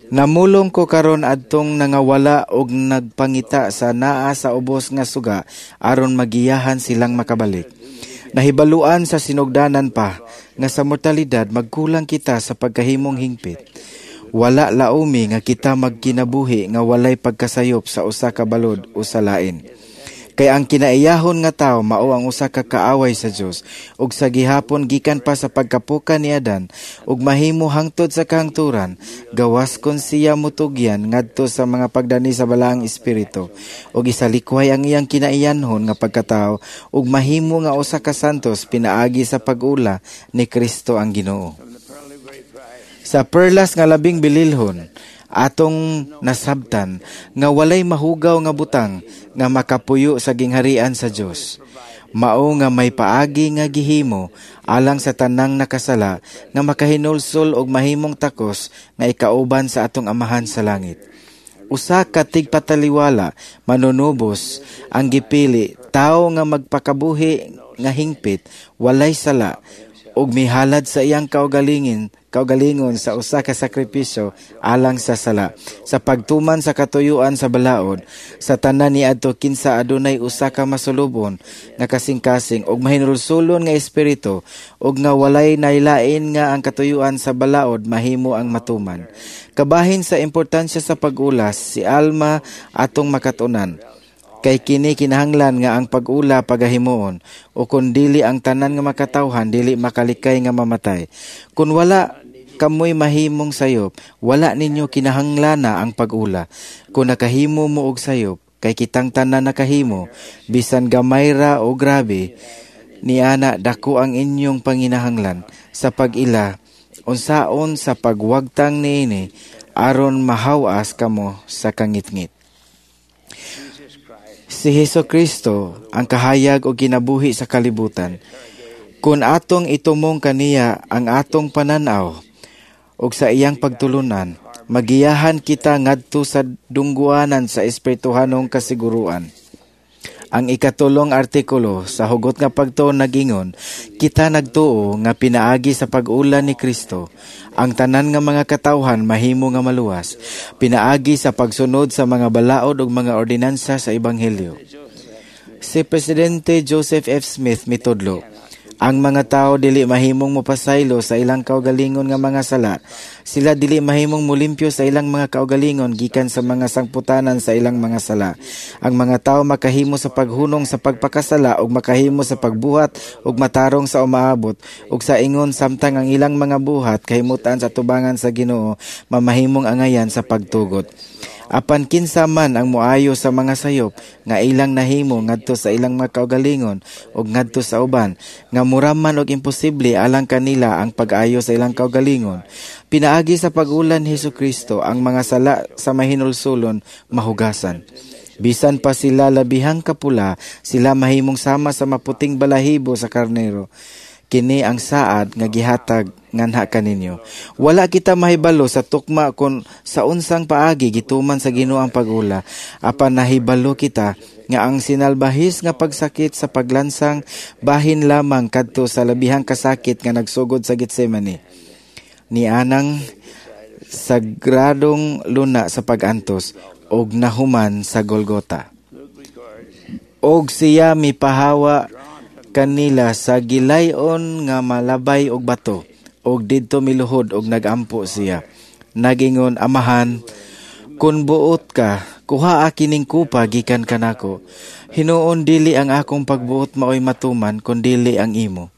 Namulong ko karon adtong nangawala og nagpangita sa naa sa ubos nga suga aron magiyahan silang makabalik. Nahibaluan sa sinugdanan pa nga sa mortalidad magkulang kita sa pagkahimong hingpit. Wala laumi nga kita magkinabuhi nga walay pagkasayop sa usa ka balod o sa lain. Kay ang kinaiyahon nga tawo mao ang usa ka kaaway sa Dios ug sa gihapon gikan pa sa pagkapuka ni Adan ug mahimo hangtod sa kahangturan, gawas kon siya mutugyan ngadto sa mga pagdani sa balaang espiritu ug isalikway ang iyang kinaiyanhon nga pagkatawo ug mahimo nga usa ka santos pinaagi sa pag-ula ni Kristo ang Ginoo. Sa perlas nga labing bililhon atong nasabtan nga walay mahugaw nga butang nga makapuyo sa gingharian sa Dios. Mao nga may paagi nga gihimo alang sa tanang nakasala nga makahinulsol og mahimong takos nga ikauban sa atong Amahan sa langit. Usa ka tigpataliwala manunubos ang gipili, tawo nga magpakabuhi nga hingpit, walay sala, ug mihalad sa iyang kaugalingon sa usa ka sakripisyo alang sa sala sa pagtuman sa katuyuan sa balaod sa tanan niadto kinsa adunay usa ka masulubon nga kasing-kasing ug mahinulsulon nga espiritu ug nga walay nailain nga ang katuyuan sa balaod mahimo ang matuman. Kabahin sa importansya sa pag-ulas si Alma atong makatunan. Kay kini kinahanglan nga ang pag-ula pagahimuon o kun dili ang tanan nga makatawhan dili makalikay nga mamatay. Kun wala kamoy mahimong sayop, wala ninyo kinahanglana ang pag-ula. Kun nakahimo mo og sayop, kay kitang tanan nakahimo, bisan gamay ra o grabe, niana dako ang inyong panginahanglan sa pag-ila, unsaon sa pagwagtang niini aron mahawas kamo sa kangitngit. Si Hesus Kristo ang kahayag o kinabuhi sa kalibutan. Kung atong itumong kaniya ang atong pananaw ug sa iyang pagtulunan, magiyahan kita ngadto sa dungguanan sa espirituhanong kasiguruan. Ang ikatulong artikulo sa hugot nga pagtuo nagingon, kita nagtuo nga pinaagi sa pag-ulan ni Kristo, ang tanan nga mga katawhan mahimo nga maluwas, pinaagi sa pagsunod sa mga balaod ug mga ordinansa sa Ebanghelyo. Si Presidente Joseph F. Smith mitudlo, ang mga tao dili mahimong mopasaylo sa ilang kaugalingon nga mga sala. Sila dili mahimong molimpyo sa ilang mga kaugalingon gikan sa mga sangputanan sa ilang mga sala. Ang mga tao makahimo sa paghunong sa pagpakasala ug makahimo sa pagbuhat ug matarong sa umaabot ug sa ingon samtang ang ilang mga buhat kahimutan sa tubangan sa Ginoo mamahimong angayan sa pagtugot. Apan kinsa man ang moayo sa mga sayop nga ilang nahimo ngadto sa ilang mga kaugalingon ug ngadto sa uban nga mura man og imposible alang kanila ang pag-ayo sa ilang kaugalingon, pinaagi sa pag-ulan ni Hesus Kristo ang mga sala sa mahinulsulon mahugasan. Bisan pa sila labihang kapula, sila mahimong sama sa maputing balahibo sa karnero. Kini ang saad nga gihatag nganha kaninyo. Wala kita mahibalo sa tukma kon sa unsang paagi gituman sa Ginoo ang pag-ula. Apan nahibalo kita nga ang sinalbahis nga pagsakit sa paglansang bahin lamang kadto sa labihang kasakit nga nagsugod sa Getsemane. Nianang sagradong luna sa pag-antos og nahuman sa Golgota. Og siya mipahawa kanila sa gilayon nga malabay og bato, og didto miluhod og nagampo siya. Nagingon, Amahan, kun buot ka, kuhaa kining kupa gikan kanako. Hinuon dili ang akong pagbuot maoy matuman, kun dili ang imo.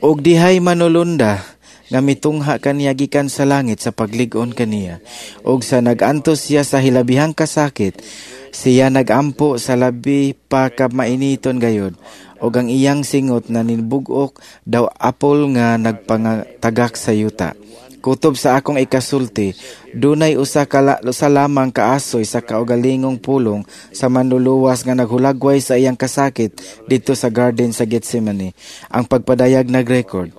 Og dihay manulunda nga mitungha kaniya gikan sa langit sa paglig-on kaniya. Og sa nagantos siya sa hilabihang kasakit, siya nagampo sa labi pa ka mainiton gayod, og ang iyang singot na nibugok daw apol nga nagpangatagak sa yuta. Kutob sa akong ikasulti, dunay usa ka lamang kaasoy sa kaugalingong pulong sa manluluwas nga naghulagway sa iyang kasakit didto sa garden sa Getsemane. Ang pagpadayag nagrekord,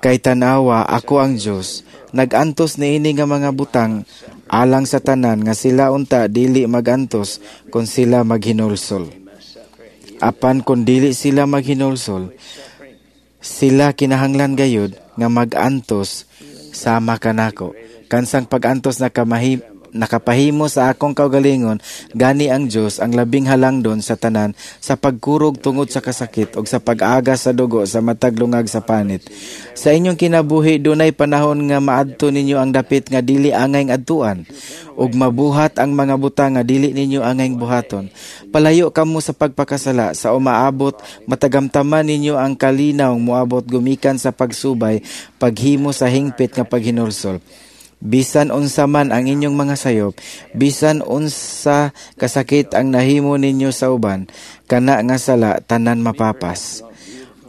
kay tanawa ako ang Dios, nagantos niini nga mga butang alang sa tanan nga sila unta dili magantos kon sila maghinulsol. Apan kon dili sila maghinulsol, sila kinahanglan gayud nga magantos sama kanako. Kansang pagantos nakapahimo sa akong kaugalingon, gani ang Dios ang labing halangdon sa tanan sa pagkurog tungod sa kasakit og sa pag-aga sa dugo sa matag lungag sa panit. Sa inyong kinabuhi dunay panahon nga maadto ninyo ang dapit nga dili angay adtuan ug mabuhat ang mga butang nga dili ninyo angay buhaton. Palayo kamo sa pagpakasala sa umaabot, matagamtaman ninyo ang kalinaw moabot gumikan sa pagsubay, paghimo sa hingpit nga paghinulsol. Bisan unsa man ang inyong mga sayop, bisan unsa kasakit ang nahimo ninyo sa uban, kana nga sala tanan mapapas.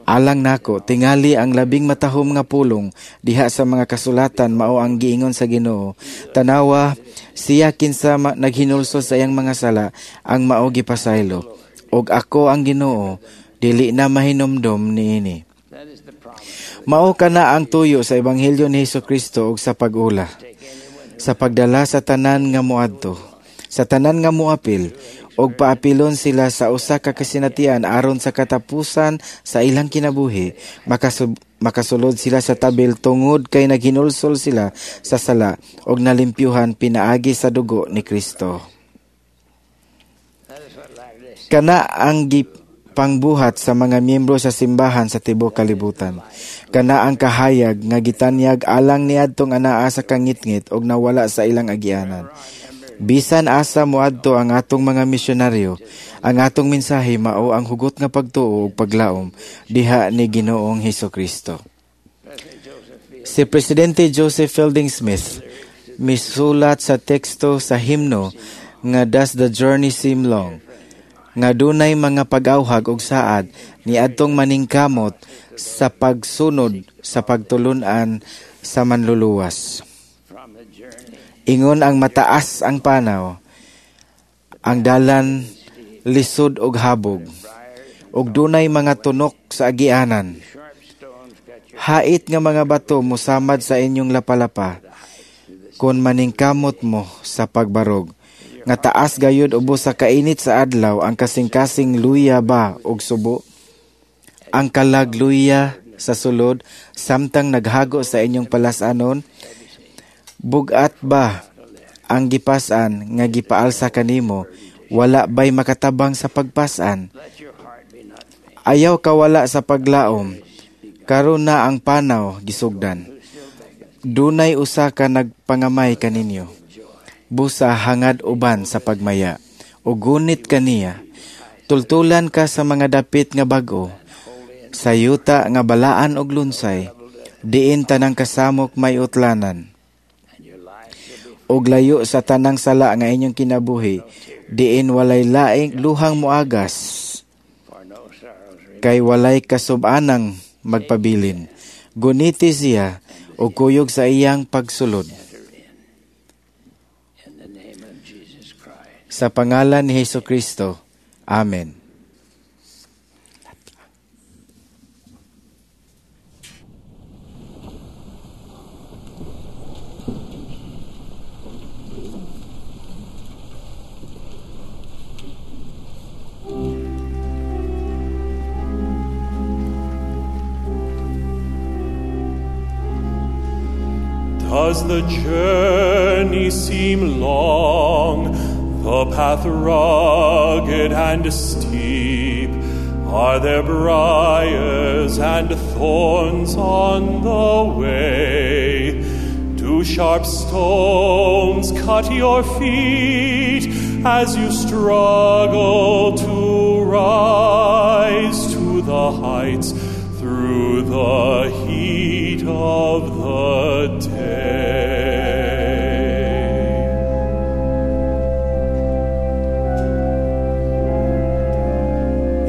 Alang nako, tingali ang labing matahom nga pulong diha sa mga kasulatan mao ang giingon sa Ginoo. Tanawa, siya kinsa naghinulsol sa iyang mga sala ang mao gipasaylo. Og ako ang Ginoo, dili na mahinumdom niini. Mao kana ang tuyo sa Ebanghelyo ni Hesus Kristo ug sa pag-ula, sa pagdala sa tanan nga moadto, sa tanan nga moapil, og paapilon sila sa usa ka kasinatian aron sa katapusan sa ilang kinabuhi makasulod sila sa tabil tungod kay naghinulsol sila sa sala og nalimpyuhan pinaagi sa dugo ni Kristo. Kana ang pangbuhat sa mga miyembro sa simbahan sa tibuok kalibutan. Kana ang kahayag nga gitanyag alang niadtong anaa sa kangitngit og nawala sa ilang agianan. Bisan asa moadto ang atong mga misyonaryo, ang atong mensahe mao ang hugot nga pagtuo ug paglaom diha ni Ginoong Hesukristo. Si Presidente Joseph Fielding Smith misulat sa teksto sa himno nga Does the Journey Seem Long?, nga dunay mga pag-awhag og saad niadtong maningkamot sa pagsunod sa pagtulun-an sa manluluwas. Ingon ang mataas ang panaw, ang dalan lisod og habog, ug dunay mga tunok sa agianan. Hait nga mga bato mosamad sa inyong lapalapa, kon maningkamot mo sa pagbarog. Nga taas gayud ubos sa kainit sa adlaw ang kasing-kasing luya ba og subo? Ang kalag luya sa sulod samtang naghago sa inyong palasanon? Bugat ba ang gipasan nga gipaalsa kanimo? Wala ba'y makatabang sa pagpasan? Ayaw kawala sa paglaom, karon na ang panaw gisugdan. Dunay usa ka nagpangamay kaninyo. Busa hangad uban sa pagmaya, o gunit kaniya. Tultulan ka sa mga dapit nga bag-o, sa yuta nga balaan og lunsay, diin tanang kasamok may utlanan. Og layo sa tanang sala nga inyong kinabuhi, diin walay laing luhang muagas, kay walay kasubanang magpabilin. Guniti siya og kuyog sa iyang pagsulod. Sa pangalan ni Hesus Kristo. Amen. Does the journey seem long, the path rugged and steep? Are there briars and thorns on the way? Do sharp stones cut your feet as you struggle to rise to the heights through the heat of the day?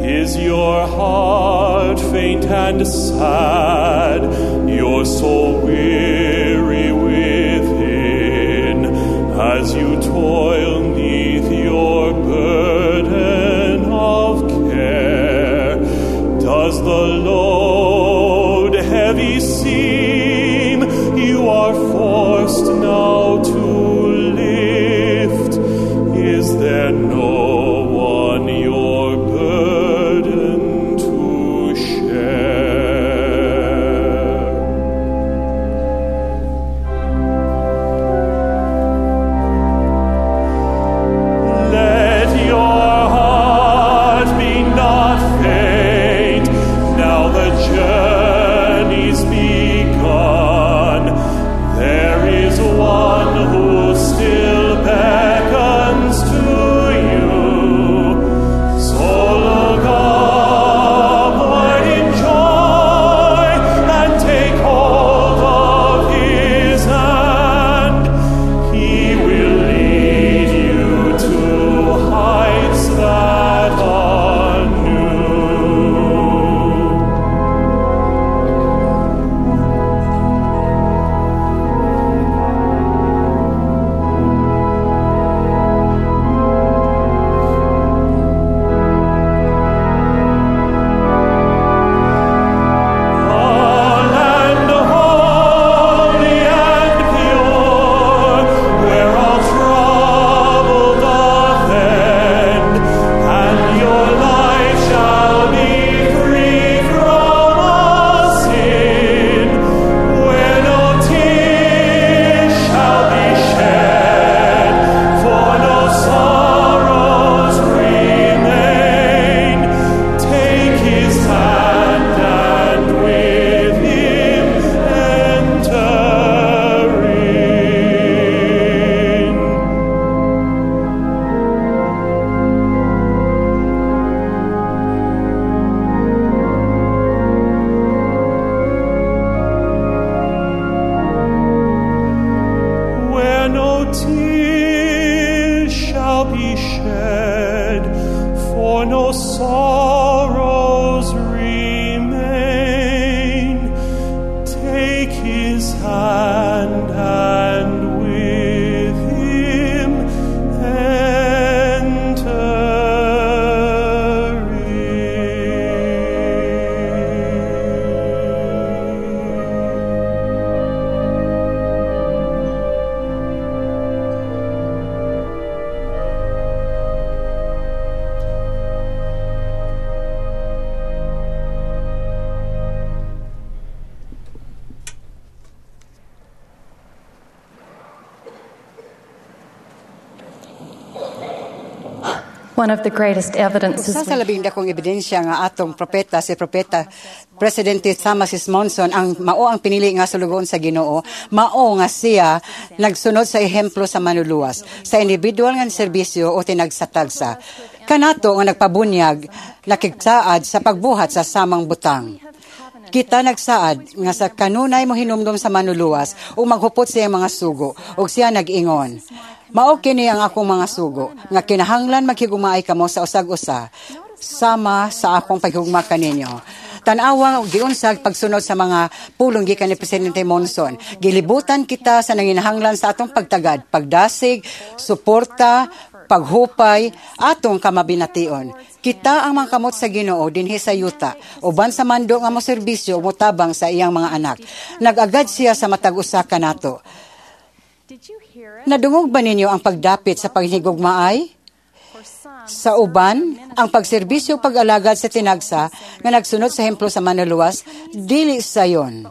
Is your heart faint and sad, your soul weary within, as you toil 'neath your burden of care? Does the load heavy seem you are forced now to lift? Is there no one your burden to share? Let your heart be not faint, now the journey's begun. There is one who still beckons to you. So look upward in joy and take hold of his hand. He will lead you to heights that are new. A land holy and pure, where all trouble doth end, and your life shall be free from all sin, where no tears shall be shed, for no sorrows remain. Take his hand and with him enter in. Where no tears shall be shed, for no sorrows remain. Take his hand and with One of the greatest evidences Usa sa labing dakong ebidensya nga atong propeta, si Propeta Presidente Thomas S. Monson, ang mao ang pinili nga sulugoon sa Ginoo, mao nga siya nagsunod sa ehemplo sa Manluluwas sa individual nga serbisyo o tinagsatagsa. Kanato nga nagpabunyag, nakigsaad sa pagbuhat sa samang butang. Kita nagsaad nga sa kanunay mo hinumdom sa Manluluwas ug maghupot sa iyang mga sugo, ug siya nag-ingon, "Mao kini ang akong mga sugo nga kinahanglan maghigugmaay kamo sa usag-usa sama sa akong paghigugma kaninyo." Tan-awa giunsag pagsunod sa mga pulong gikan ni Presidente Monson. Gilibutan kita sa nanginahanglan sa atong pagtagad, pagdasig, suporta, paghupay, atong kamabination. Kita ang mga kamot sa Ginoo dinhi sa yuta, uban sa mando nga mo serbisyo ug motabang sa iyang mga anak. Nag-agad siya sa matag usa kanato. Nadungog ba ninyo ang pagdapit sa paghigugmaay? Sa uban, ang pagserbisyo, pag-alagad sa tinagsa nga nagsunod sa ehemplo sa Manluluwas, dili sayon.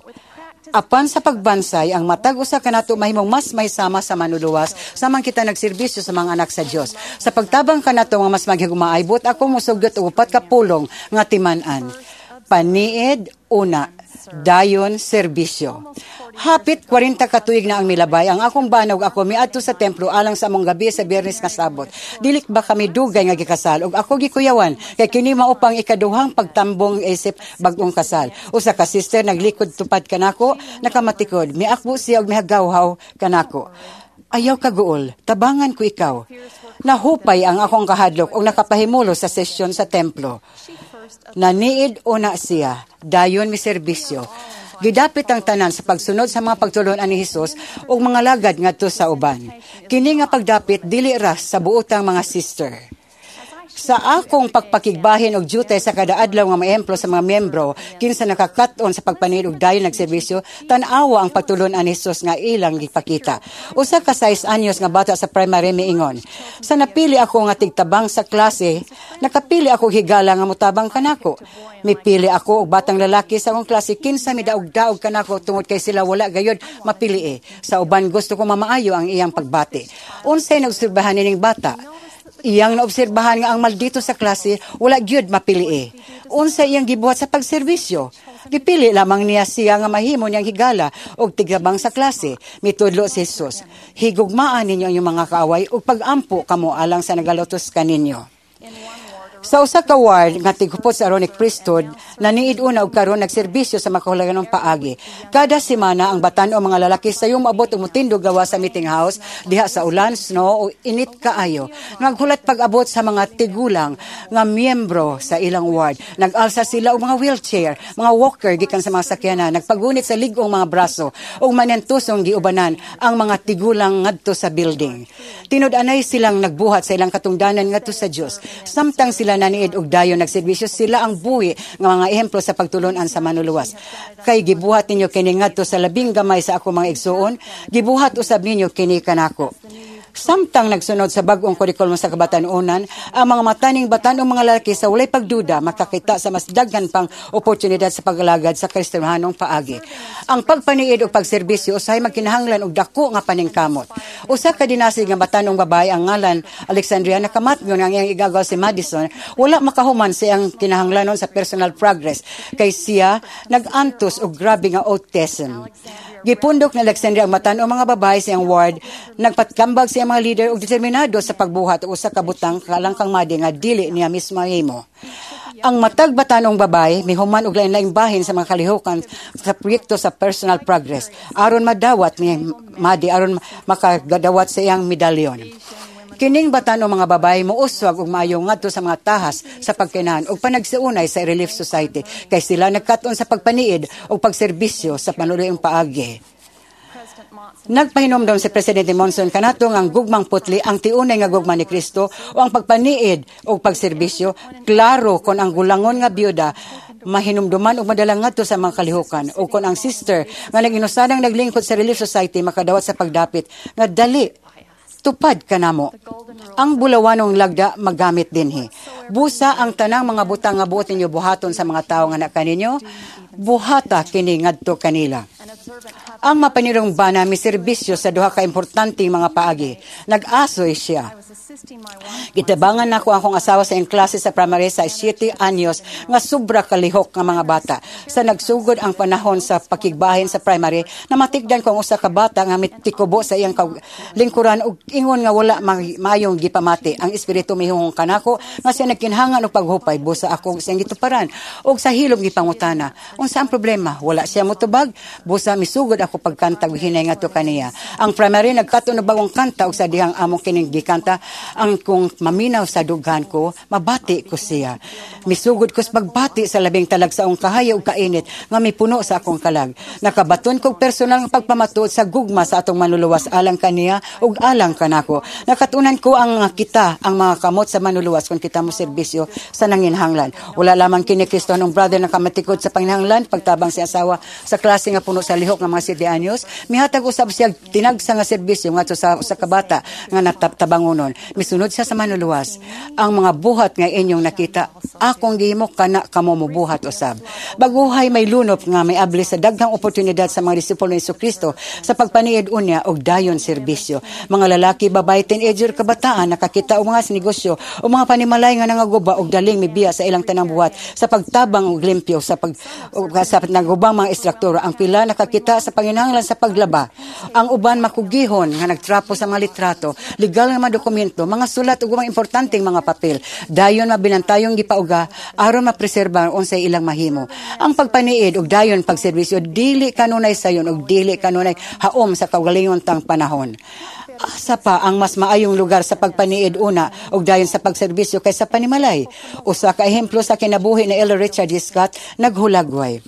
Apan sa pagbansay, ang matag usa kanato mahimong mas may sama sa Manluluwas samang kita nagserbisyo sa mga anak sa Dios. Sa pagtabang kanato nga mas maghigugmaay, buot ako mosugyot og upat ka pulong nga timan-an. Paniid una, dayon serbisyo. Hapit 40 ka tuig na ang milabay, ang akong bana ug ako miadto sa templo alang sa among gabi sa Biyernes nga Sabot. Dili ba kami dugay nga gikasal ug ako gikuyawan kay kini mao pang ikaduhang pagtambong isip bag-ong kasal. Usa ka sister naglikod tupad kanako, nakamatikod. Miakbo siya ug mihagawhaw kanako. "Ayaw kaguol, tabangan ko ikaw." Nahupay ang akong kahadlok ug nakapahimulo sa sesyon sa templo. Naniid una siya, dayon mi serbisyo. Gidapit ang tanan sa pagsunod sa mga pagtulon-an ni Hesus ug mga lagad ngadto sa uban. Kini nga pagdapit dili ra sa buotang mga sister. Sa akong pagpakigbahin og duty sa kada adlaw nga maehemplo sa mga miyembro kinsa nakakaton sa pagpaniid og dayon nagserbisyo, tan-awa ang pagtulon-an ni Hesus nga ilang gipakita. Usa ka 6 anyos nga bata sa primary miingon, "Sa napili ako nga tigtabang sa klase, nakapili ako higala nga motabang kanako. Mipili ako og batang lalaki sa akong klase kinsa midaog-daog kanako tungod kay sila wala gayod mapili. Sa uban, gusto ko mamaayo ang iyang pagbati." Unsay naobserbahan nining bata? Iyang naobserbahan nga ang maldito sa klase wala gyud mapili. Unsa iyang gibuhat sa pagserbisyo? Gipili lamang niya siya nga mahimo niyang higala og tigtabang sa klase. Mitudlo si Jesus, "Higugmaan ninyo ang inyong mga kaaway ug pagampo kamo alang sa nagalutos kaninyo." Sa usa ka ward nga tighupot sa Aaronic Priesthood, naniid una og karon nagserbisyo sa makahuluganong paagi. Kada semana ang batan-o mga lalaki sayo moabot og motindog gawa sa meeting house diha sa ulan, snow o init kaayo. Naghulat pag-abot sa mga tigulang nga miyembro sa ilang ward. Nag-alsa sila og mga wheelchair, mga walker gikan sa mga sakyanan, nagpagunit sa lig-ong mga braso ug manentusong giubanan ang mga tigulang ngadto sa building. Tinud-anay silang nagbuhat sa ilang katungdanan ngadto sa Dios. Samtang sila naniid og dayon nagserbisyo, sila ang buhi nga mga ehemplo sa pagtulon-an sa Manluluwas. "Kay gibuhat ninyo kini ngadto sa labing gamay sa ako mga igsuon, gibuhat usab ninyo kini kanako." Samtang nagsunod sa bag-ong kurikulum sa kabatan-onan, ang mga mataning batan-ong mga lalaki sa walay pagduda makakita sa mas daghan pang oportunidad sa pag-alagad sa Kristiyanong paagi. Ang pagpaniid og pagserbisyo usahay magkinahanglan og dako nga paningkamot. Usa ka dinasig nga batan-ong babae ang ngalan Alexandria nakamatngon ang iyang igagaw si Madison wala makahuman sa iyang kinahanglanon sa personal progress kay siya nag-antos og grabe nga autism. Gipundok ni Alexandria ang matan-ong mga babae sa iyang ward, nagpatkambag sa iyang mga leader og determinado sa pagbuhat og usa ka butang kalangkang Madi nga dili niya mismo mahimo. Ang matag batan-ong babae mihuman og lain-laing bahin sa mga kalihukan sa proyekto sa personal progress aron madawat ni Madi, aron makagadawat sa iyang medalyon. Kining batan-ong mga babae mouswag og maayo ngadto sa mga tahas sa pagkinahan ug panagsiunay sa Relief Society kay sila nagkat-on sa pagpaniid ug pagserbisyo sa panuluyong paagi. Nagpahinomdom si Presidente Monson kanato nga ang gugmang putli, ang tiunay nga gugma ni Kristo o ang pagpaniid o pagserbisyo, klaro kon ang gulangon nga biyuda mahinumduman og madala ngadto sa mga kalihukan o kon ang sister nga nag-inusanang naglingkod sa Relief Society makadawat sa pagdapit nga dali tupad kanamo. Ang bulawanong lagda magamit dinhi. Busa ang tanang mga butang nga buot ninyo buhaton sa mga tawo nga nakaninyo, buhata kini ngadto kanila. Ang mapanirong bana miserbisyo sa duha ka importanteng mga paagi. Nag-asoy siya. Gitabangan nako akong asawa sa iyang klase sa primary sa 7 anyos nga sobra kalihok nga mga bata. Sa nagsugod ang panahon sa pakigbahin sa primary, namatigdan ko ang usa ka bata nga mitikubo sa iyang lingkuran ug ingon nga wala maayong gipamati. Ang espiritu mihungong kanako nga siya nagkinhangan og paghupay busa ako siyang gituparan ug sa hilom gipangutana. Unsa ang problema? Wala siya motubag, busa misugod ako pagkanta ug hinay ngadto kaniya. Ang primary nagkaton og bagong kanta ug sa dihang among kining gikanta, ang kung maminaw sa dughan ko, mabati ko siya. Misugod ko sa pagbati sa labing talagsaong kahayo ug kainit nga mipuno sa akong kalag. Nakabaton kog personal nga pagpamatuod sa gugma sa atong manluluwas alang kaniya ug alang kanako. Nakatunan ko ang kita ang mga kamot sa manluluwas kung kita mo serbisyo sa nanginhanglan. Wala lamang kini Kristohanong brother na kamatikod sa panginhanglan pagtabang si asawa sa klase nga puno sa lihok nga mga 7 anyos, mihatag usab siya tinagsa nga serbisyo ngadto sa usa ka bata nga nataptabangonon. Misunod siya sa manluluwas. Ang mga buhat nga inyong nakita, akong gihimo kana kamo mobuhat usab. Baguhay may lunop nga may abli sa daghang oportunidad sa mga disipulo ni Kristo sa pagpaniid unya og dayon serbisyo. Mga lalaki, babae, teenager, kabataan nakakita og mga negosyo o mga panimalay nga nangaguba og daling mibiya sa ilang tanang buhat sa pagtabang og limpyo sa pag og, sa nagubang mga istruktura. Ang pila nakakita sa panginahanglan sa paglaba. Ang uban makugihon nga nagtrapo sa mga litrato, legal nga mga dokumento, mga sulat ug mga importanteng mga papel. Dayon mabinantayong gipauga aron mapreserba unsay ilang mahimo. Ang pagpaniid ug dayon pagserbisyo dili kanunay sayon ug dili kanunay haom sa kaugalingon tang panahon. Asa pa ang mas maayong lugar sa pagpaniid una ug dayon sa pagserbisyo kaysa panimalay? Usa ka ehemplo sa kinabuhi ni Elder Richard D. Scott naghulagway.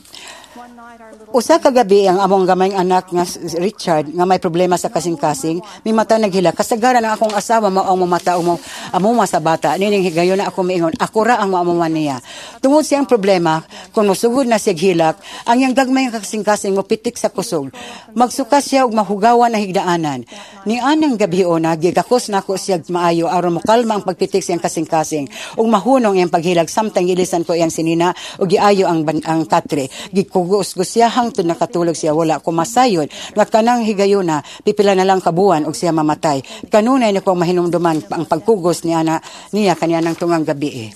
Usa ka gabi ang among gamayng anak nga Richard nga may problema sa kasing-kasing, mimata naghila. Kasagaran ang akong asawa mao ang mamata o amuma sa bata. Nining higayon na ako miingon, ako ra ang moamuman niya. Tungod siyang problema, kung mosugod na siya hilak, ang iyang gagmay nga kasing-kasing mopitik sa kusog. Magsuka siya og mahugawan na higdaanan. Ni anang gabi ona, gigakos nako siya maayo aron mokalma ang pagpitik siyang kasing-kasing ug mahunong iyang paghilag samtang gilisan ko iyang sinina ug giayo ang katre. Gikugos siya hangtod nakatulog siya, wala ko masayod nga kanang higayuna pipila na lang kabuan og siya mamatay. Kanunay na ko mahinumduman ang pagkugos ni ana niya kaniya ng tungang gabi.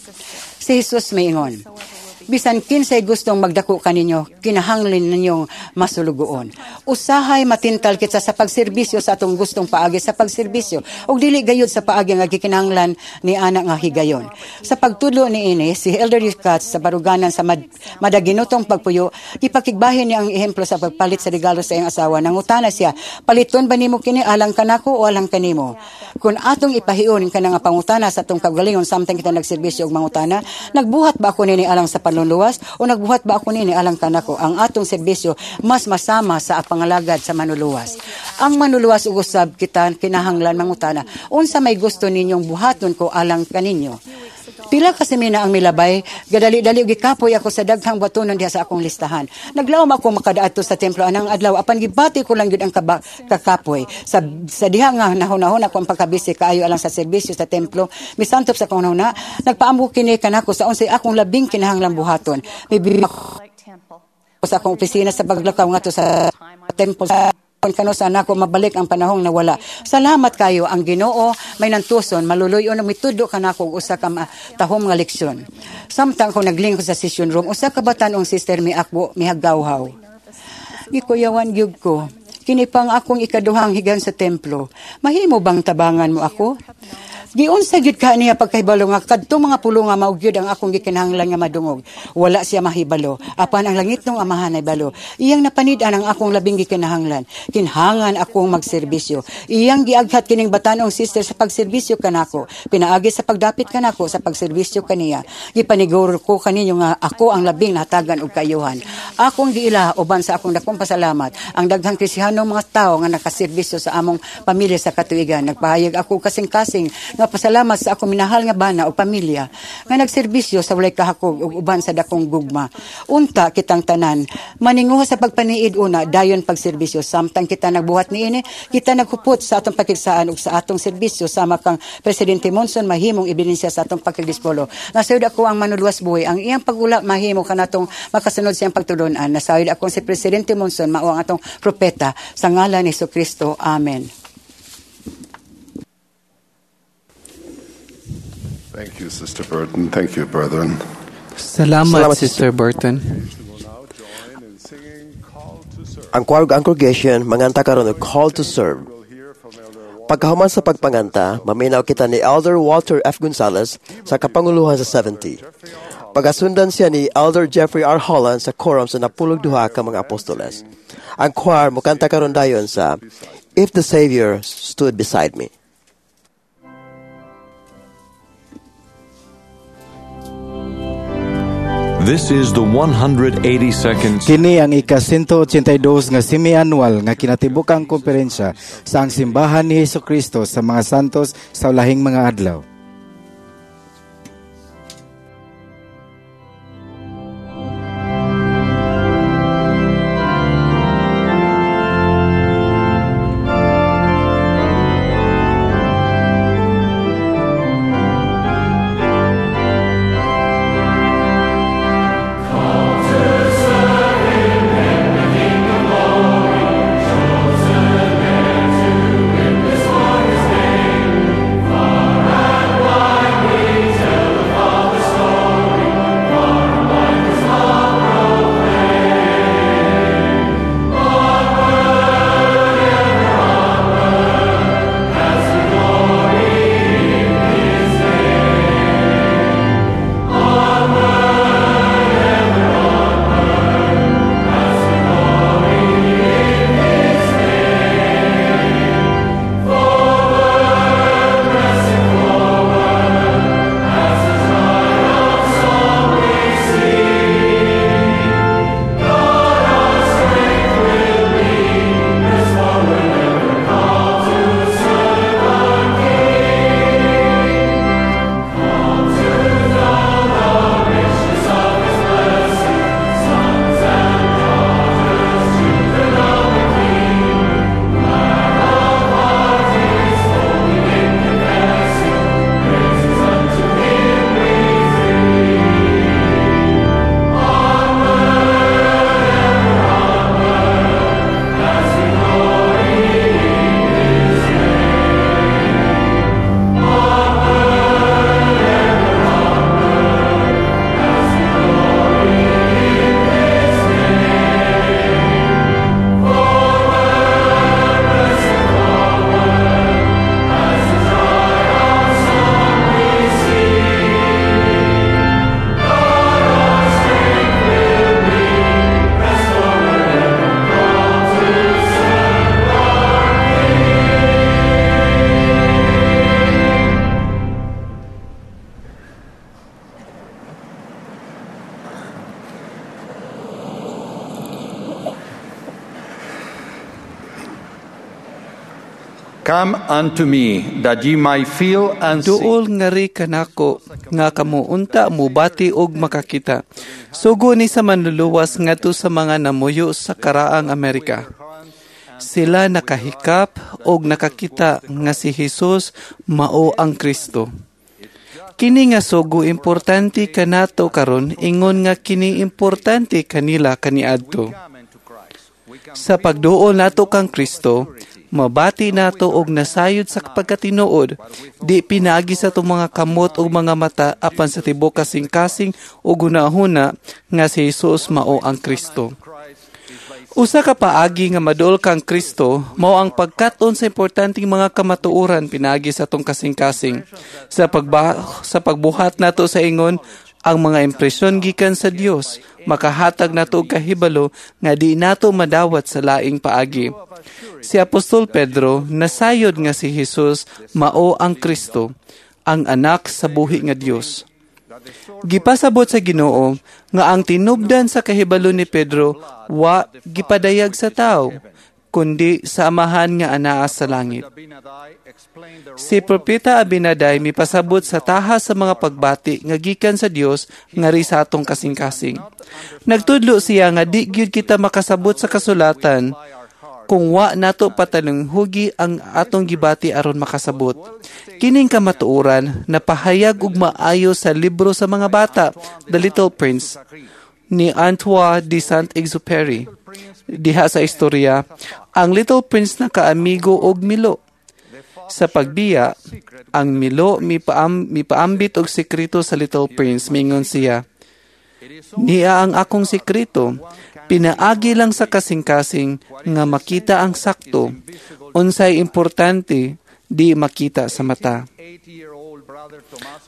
Si Jesus maingon, bisan kinsay gustong magdako kaninyo, kinahanglan ninyong masulugoon. Usahay matintal kita sa pagserbisyo sa atong gustong paagi sa pagserbisyo ug dili gayud sa paagi nga gikinahanglan ni ana nga higayon. Sa pagtudlo niini si Elder Katz sa baruganan sa madaginutong pagpuyo, gipakigbahin niya ang ehemplo sa pagpalit sa regalo sa iyang asawa. Nangutana siya, paliton ba nimo kini alang kanako o alang kanimo? Kung atong ipahion kana nga pangutana sa atong kaugalingon samtang kita nagserbisyo og mangutana, nagbuhat ba ako nini alang sa panluluwas o nagbuhat ba ako nini alang kanako? Ang atong serbisyo mas masama sa pangalagad sa manluluwas. Ang manluluwas ug usab kita kinahanglan mangutana, unsa may gusto ninyong buhaton ko alang kaninyo? Pila ka semana ang milabay, gadali-dali og gikapoy ako sa daghang batonon diha sa akong listahan. Naglaom ako makadaadto sa templo anang adlaw apan gibati ko lang gyud ang kakapoy. Sa diha nga nahunahon ako ang pagkabisi kaayo alang sa serbisyo sa templo, misantop sa akong hunahuna, nagpaambo kini kanako sa unsay akong labing kinahanglang buhaton. Mibi ako sa akong opisina sa paglakaw ngadto sa templo kano sa nako mabalik ang panahong nawala. Salamat kayo ang Ginoo may nantuson maluluyon ug mitudo kanako og usa ka tahom nga leksyon. Samtang ako naglingkod sa session room, usa ka batan-ong sister miakbo mihagawhaw. Gikuyawan gyud ko. Kini pang akong ikaduhang higan sa templo. Mahimo bang tabangan mo ako? Giunsa gyud ka niya pagkahibalo nga kadtong mga pulo nga mao gyud ang akong gikinahanglan nga madungog. Wala siya mahibalo, apan ang langit nung amahan ay balo. Iyang napanid-an ang akong labing gikinahanglan. Kinhangan akong magserbisyo. Iyang giaghat kining batan-ong sister sa pagserbisyo kanako. Pinaagi sa pagdapit kanako sa pagserbisyo kaniya. Gipaniguro ko kaninyo nga ako ang labing nahatagan og kaayuhan. Akong giila uban sa akong dakong pasalamat ang daghang Kristiyanong mga tawo nga nakaserbisyo sa among pamilya sa katuigan. Nagpahayag ako kasing-kasing nga Nga pasalamat sa akong minahal nga bana o pamilya nga nagserbisyo sa walay kahakog ug uban sa dakong gugma. Unta kitang tanan maninguha sa pagpaniid una dayon pagserbisyo. Samtang kita nagbuhat niini, kita naghupot sa atong pakigsaan ug sa atong serbisyo sama kang Presidente Monson mahimong ebidensya sa atong pagkadispulo. Nasayod ako ang manuluwas buhi, ang iyang pagula mahimo kanatong makasunod siyang pagtulunan. Nasayod ako si Presidente Monson mao ang atong propeta sa ngalan ni Jesucristo. Amen. Thank you, Sister Burton. Thank you, brethren. Salamat, Sister Burton. Ang choir ang congregation manganta karon og Call to Serve. Pagkahuman sa pagpanganta, maminaw kita ni Elder Walter F. Gonzalez sa kapanguluhan sa 70. Pagasundan siya ni Elder Jeffrey R. Holland sa quorum sa 12 ka mga apostoles. Ang choir mukanta karon dayon sa If the Savior Stood Beside Me. This is the 182nd Kini ang ika-182 nga semi-annual nga kinatibukang komperensya sa ang simbahan ni Jesucristo sa mga santos sa ulahing mga adlaw. Come unto me, that ye might feel and see. Duol ngari kanako nga kamo unta mubati og makakita. Sugo ni sa manluluwas ngadto sa mga namuyo sa karaang Amerika. Sila nakahikap og nakakita nga si Jesus mao ang Kristo. Kini nga sugo importante kanato karon, ingon nga kini importante kanila kaniadto. Sa pagduol nato kang Kristo, mabati nato og nasayod sa pagkatinuod, di pinagi sa itong mga kamot og mga mata apan sa tibuok kasing-kasing og hunahuna nga si Jesus mao ang Kristo. Usa ka paagi nga maduol kang Kristo mao ang pagkat-on sa importanteng mga kamatuoran pinaagi sa atong kasing-kasing. Sa pagbuhat nato sa ingon, ang mga impresyon gikan sa Dios makahatag nato og kahibalo nga di nato madawat sa laing paagi. Si Apostol Pedro nasayod nga si Jesus mao ang Kristo, ang anak sa buhi nga Dios. Gipasabot sa Ginoo nga ang tinubdan sa kahibalo ni Pedro wa gipadayag sa tao, kundi sa Amahan nga anaa sa langit. Si Propeta Abinadai mipasabot sa taha sa mga pagbati nga gikan sa Dios ngari sa atong kasing-kasing. Nagtudlo siya nga di gyud kita makasabot sa kasulatan kung wa nato patalunghugi ang atong gibati aron makasabot. Kining kamatuoran napahayag og maayo sa libro sa mga bata, The Little Prince, ni Antoine de Saint-Exupéry. Diha sa istorya, ang Little Prince nakaamigo og Milo. Sa pagbiya, ang Milo mipaambit og sekreto sa Little Prince. Mingon siya, "Niya ang akong sekreto, pinaagi lang sa kasing-kasing nga makita ang sakto, unsay importante di makita sa mata."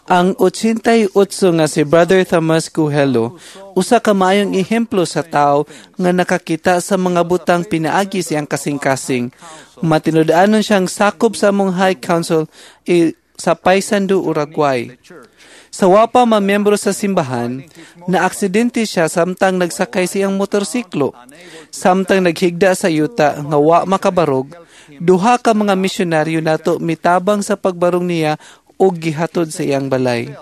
Ang 88 nga si Brother Thomas Coelho, usa ka maayong ehemplo sa tao nga nakakita sa mga butang pinaagi siyang kasing-kasing. Matinud-anon siyang sakop sa among High Council sa Paysandu, Uruguay. Sa wa pa mamiyembro sa simbahan, naaksidente siya samtang nagsakay siyang motorsiklo. Samtang naghigda sa yuta nga wa makabarog, duha ka mga misyonaryo nato mitabang sa pagbarong niya og gihatod sa iyang balay.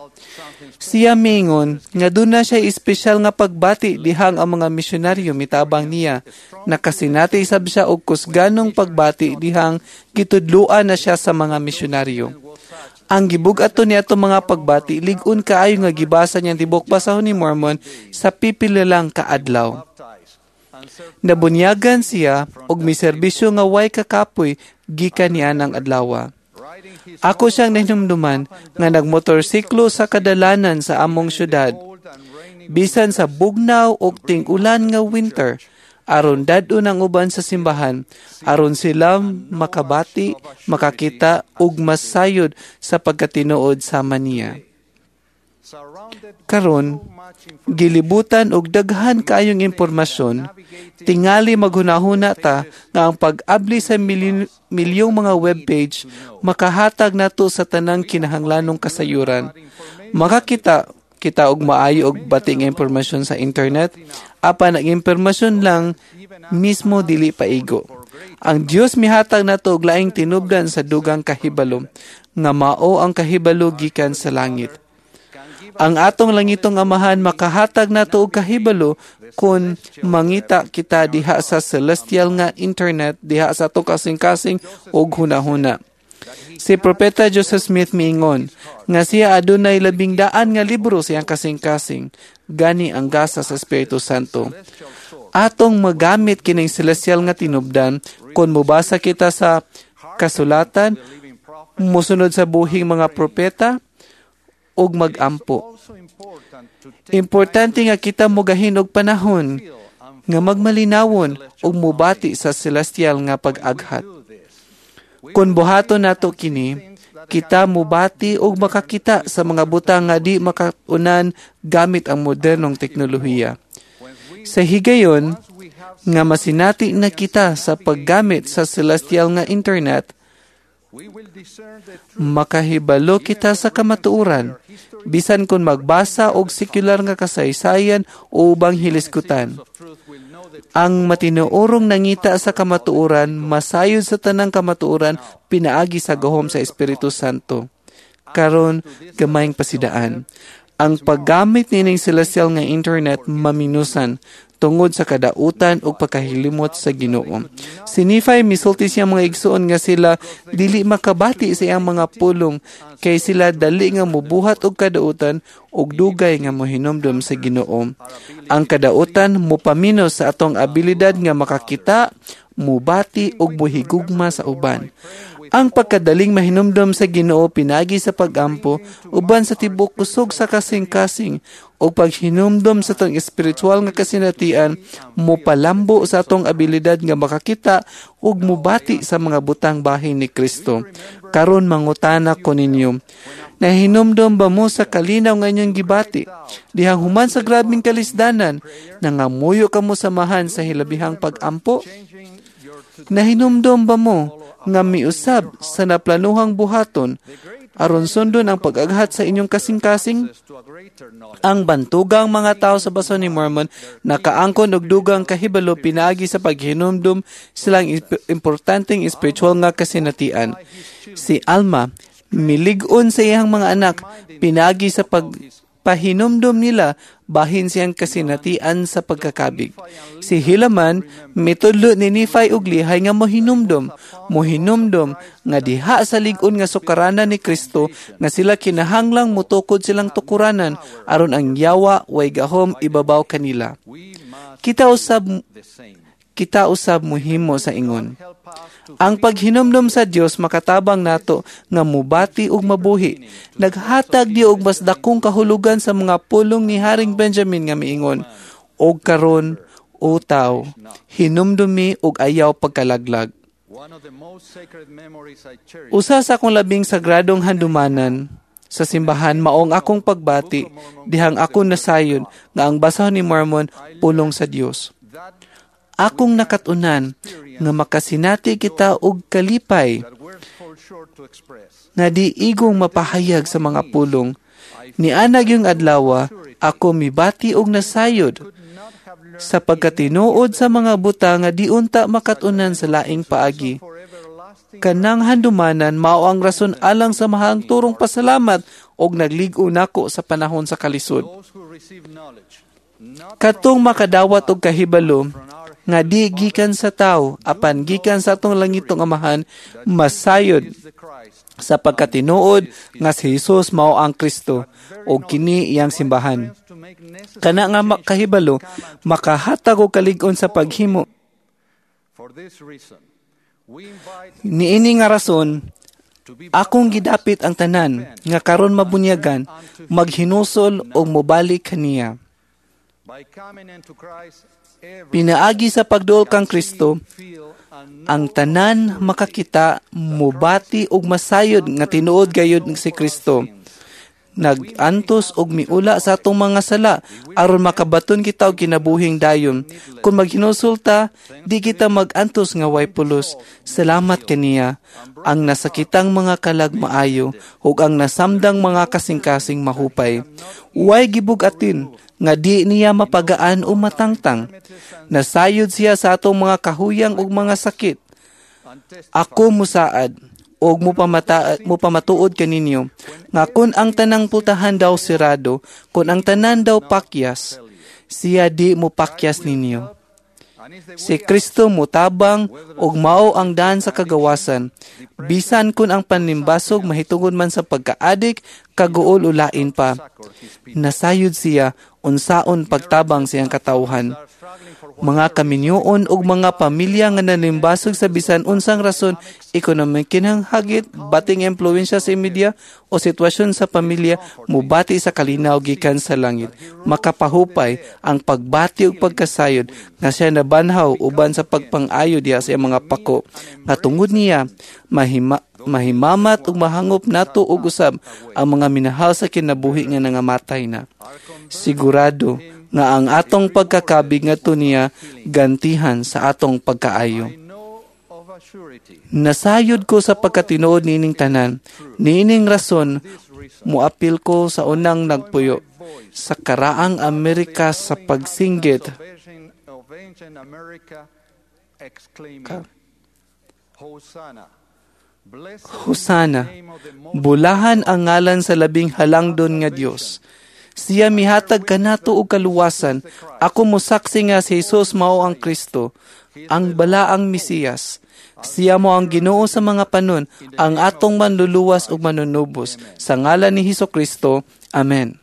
Siya miingon nga duna siya espesyal nga pagbati dihang ang mga misyonaryo mitabang niya. Nakasinati sab siya og kusganong pagbati dihang gitudloan na siya sa mga misyonaryo. Ang gibug-ato niya atong mga pagbati, lig-on kaayo nga gibasa niyang tibok basahon ni Mormon sa pipila lang kaadlaw. Nabunyagan siya og miserbisyo nga way kakapoy gikan niya ng adlawa. Ako siyang nahinumduman nga nagmotorsiklo sa kadalanan sa among syudad. Bisan sa bugnaw og ting-ulan nga winter, aron dad-on ang uban sa simbahan, aron sila makabati, makakita ug masayod sa pagkatinuod sama niya. Karon, gilibutan og daghan kaayong impormasyon, tingali maghunahuna ta nga ang pag-abli sa milyong mga webpage makahatag nato sa tanang kinahanglanong kasayuran. Makakita kita og maayo og bati nga impormasyon sa internet, apan ang impormasyon lang mismo dili paigo. Ang Dios mihatag nato og laing tinubdan sa dugang kahibalo, nga mao ang kahibalo gikan sa langit. Ang atong langitong Amahan makahatag nato og kahibalo kung mangita kita diha sa celestial nga internet, diha sa atong kasing-kasing og hunahuna. Si Propeta Joseph Smith miingon nga siya adunay 100 nga libro siyang kasing-kasing, gani ang gasa sa Espiritu Santo. Atong magamit kining celestial nga tinubdan kung mobasa kita sa kasulatan, mosunod sa buhing mga propeta, ug magampo. Importante nga kita mogahin og panahon nga magmalinawon ug mobati sa celestial nga pag-aghat. Kung buhaton nato kini, kita mobati ug makakita sa mga butang nga di makaunan gamit ang modernong teknolohiya. Sa higayon nga masinati na kita sa paggamit sa celestial nga internet, makahibalo kita sa kamatuoran, bisan kung magbasa og sekular nga kasaysayan o ubang hiliskutan. Ang matinuorong nangita sa kamatuoran, masayod sa tanang kamatuoran, pinaagi sa gahom sa Espiritu Santo. Karon, gamayng pasidaan. Ang paggamit nining celestial nga internet maminusan tungod sa kadautan ug pagkahilimot sa Ginoo. Si Nephi misulti siya mga igsuon nga sila dili makabati sa iyang mga pulong kay sila dali nga mubuhat og kadautan ug dugay nga mohinumdom sa Ginoo. Ang kadautan mopaminos sa atong abilidad nga makakita, mubati ug muhigugma sa uban. Ang pagkadaling mahinumdom sa Ginoo pinagi sa pagampo uban sa tibok kusog sa kasing-kasing o paghinumdom sa atong espiritual nga kasinatian mopalambo sa atong abilidad nga makakita ug mobati sa mga butang bahin ni Kristo. Karon mangutana ko ninyo, nahinumdom ba mo sa kalinaw nga inyong gibati? Dihang human sa grabeng kalisdanan, nangamuyo kamo samahan sa hilabihang pagampo? Nahinumdom ba mo nga miusab sa naplanuhang buhaton Aron sundon ang pag-aghat sa inyong kasing-kasing, ang bantugang mga tao sa Baso ni Mormon nakaangkon og dugang kahibalo pinaagi sa paghinumdum silang importanteng espiritual nga kasinatian. Si Alma milig-on sa iyang mga anak pinaagi sa pagpahinumdum nila bahin siyang kasinatian sa pagkakabig. Si Helaman mitudlo ni Nephi og Lihay nga mohinumdum nga diha sa lig-on nga sukaranan ni Kristo nga sila kinahanglang motukod silang tukuranan aron ang yawa way gahom ibabaw kanila. Kita usab mohimo sa ingon. Ang paghinumdum sa Dios makatabang nato nga mubati ug mabuhi. Naghatag di og mas dakong kahulugan sa mga pulong ni Haring Benjamin nga miingon, og karon o tawo, hinumdumi ug ayaw pagkalaglag. Usa sa akong labing sagradong handumanan sa simbahan maong akong pagbati dihang ako nasayon nga ang basahon ni Mormon pulong sa Dios. Akong nakatunan nga makasinati kita og kalipay nga di igong mapahayag sa mga pulong. Nianag yung adlawa, ako mibati og nasayod sa pagkatinuod sa mga buta nga di unta makatunan sa laing paagi. Kanang handumanan mao ang rason alang sa mahang turong pasalamat og naglig-o nako sa panahon sa kalisod. Katong makadawat og kahibalo nga di gikan sa tao apan gikan sa atong langitong Amahan, masayod sa pagkatinuod nga si Jesus mao ang Kristo og kini iyang simbahan. Kana nga kahibalo makahatag og kalig-on sa paghimo. Niini nga rason, akong gidapit ang tanan nga karon mabunyagan, maghinusol og mobalik kaniya. Pinaagi sa pagduol kang Kristo, ang tanan makakita, mobati og masayod nga tinuod gayud si Kristo. Nag-antos og miula sa atong mga sala aron makabaton kita og kinabuhing dayon. Kung maghinusol ta, di kita mag-antos nga way pulos. Salamat kaniya ang nasakitang mga kalag maayo ug ang nasamdang mga kasing-kasing mahupay. Way gibug-atin nga di niya mapagaan o matangtang. Nasayod siya sa atong mga kahuyang ug mga sakit. Ako musaad og mupamatuod kaninyo nga kun ang tanang pultahan daw sirado, kun ang tanan daw pakyas, siya di mo pakyas ninyo. Si Kristo mutabang og mao ang daan sa kagawasan. Bisan kun ang panlimbasog mahitungod man sa pagkaadik, kaguol o lain pa. Nasayod siya unsaon pagtabang siyang katawhan. Mga kaminyoon og mga pamilya nga nalimbasog sa bisan unsang rason, ekonomik kinahangagit, bating impluwensya sa media o sitwasyon sa pamilya, mubati sa kalinaw gikan sa langit. Makapahupay ang pagbati ug pagkasayod nga siya nabanhaw uban sa pagpang-ayo diha sa iyang mga pako. Nga tungod niya, mahimamat ug mahangop nato og usab ang mga minahal sa kinabuhi nga nangamatay na. Sigurado nga ang atong pagkakabig ngadto niya gantihan sa atong pagkaayo. Nasayod ko sa pagkatinuod niining tanan. Niining rason, muapil ko sa unang nagpuyo sa karaang Amerika sa pagsinggit. Hosana, bulahan ang ngalan sa labing halangdon nga Dios. Siya mihatag kanato og kaluwasan. Ako mosaksi nga si Jesus mao ang Kristo, ang balaang Mesiyas. Siya mo ang Ginoo sa mga panon, ang atong manluluwas ug manunubos. Sa ngalan ni Hesus Kristo. Amen.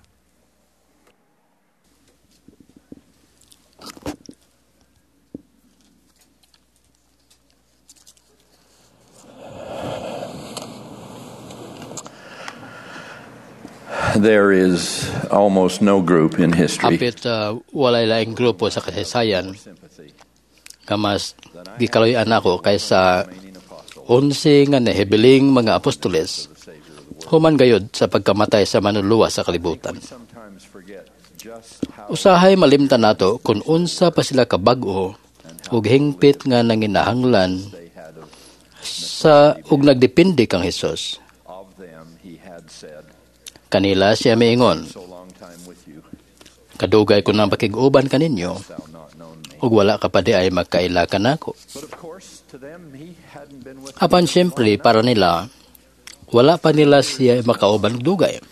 There is almost no group in history. Hapit walay laing grupo sa kasaysayan nga mas gikaloy-an ako kaysa 11 nga nahibiling mga apostoles human gayud sa pagkamatay sa manluluwas sa kalibutan. Usahay malimtan nato kung unsa pa sila kabag-o ug hingpit nga nanginahanglan sa ug nagdepende kang Hesus. Kanila siya miingon, "Kadugay ko nang pakig-uban kaninyo, ug wala ka pa di ay magkaila kanako." Apan siyempre para nila, wala pa nila siya makauban og dugay.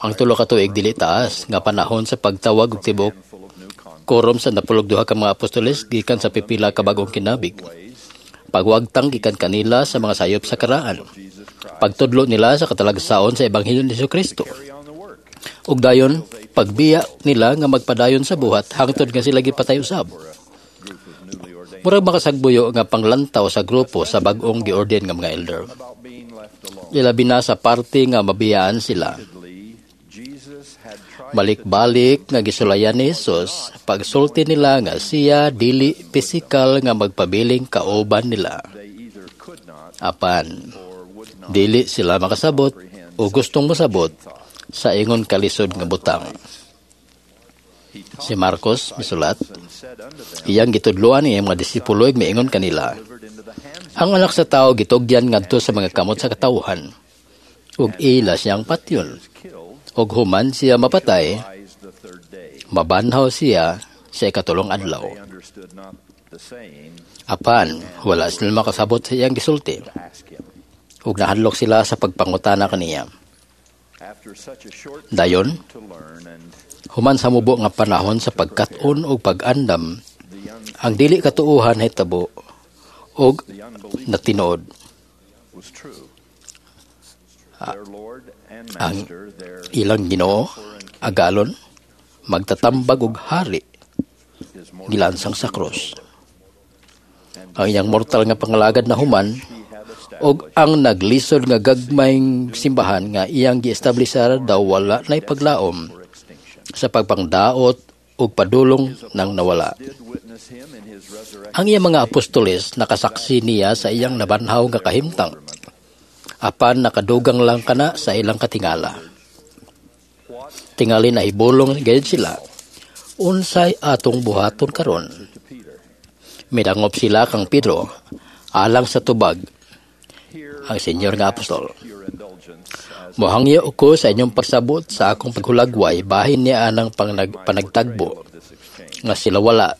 Ang 3 ka tuig dili taas nga panahon sa pagtawag og tibok korum sa 12 ka mga apostoles gikan sa pipila ka bag-ong kinabig. Pagwagtang gikan kanila sa mga sayop sa karaan. Pagtudlo nila sa katalagsaon sa Ebanghelyo ni Jesucristo. Ug dayon pagbiya nila nga magpadayon sa buhat hangtod nga sila gipatay usab. Murag makasagbuyo nga panglantaw sa grupo sa bag-ong giorden nga mga elder. Ilabi na sa parte nga mabiyaan sila. Balik-balik nga gisulayan ni Jesus, pagsulti nila nga siya dili pisikal nga magpabiling kauban nila. Apan, dili sila makasabot o gustong mosabot sa ingon kalisod nga butang. Si Marcos misulat, iyang gitudloan iyang mga disipulo ug miingon kanila, "Ang anak sa tao gitugyan ngadto sa mga kamot sa katawhan, ug ila siyang patyon. Ug human siya mapatay, mabanhaw siya sa ikatulong adlaw." Apan, wala sila makasabot sa iyang gisulti, ug nahadlok sila sa pagpangutana kaniya. Dayon, human sa mubo nga panahon sa pagkat-on ug pag-andam, ang dili katuohan hitabo ug natinuod. Ang ilang Ginoo, agalon, magtatambag og hari, gilansang sa krus. Ang iyang mortal nga pangalagad na human, og ang naglisod nga gagmayng simbahan nga iyang giestablisar daw wala na'y paglaom sa pagpangdaot ug padulong nang nawala. Ang iyang mga apostoles nakasaksi niya sa iyang nabanhaw nga kahimtang, apan nakadugang lang kana sa ilang katingala. Tingali na ibulong gayud sila, unsay atong buhaton karon? Midangop sila kang Pedro alang sa tubag ang senyor nga apostol. "Mohangyo ko sa inyong pagsabot sa akong paghulagway bahin niya anang panagtagbo nga sila wala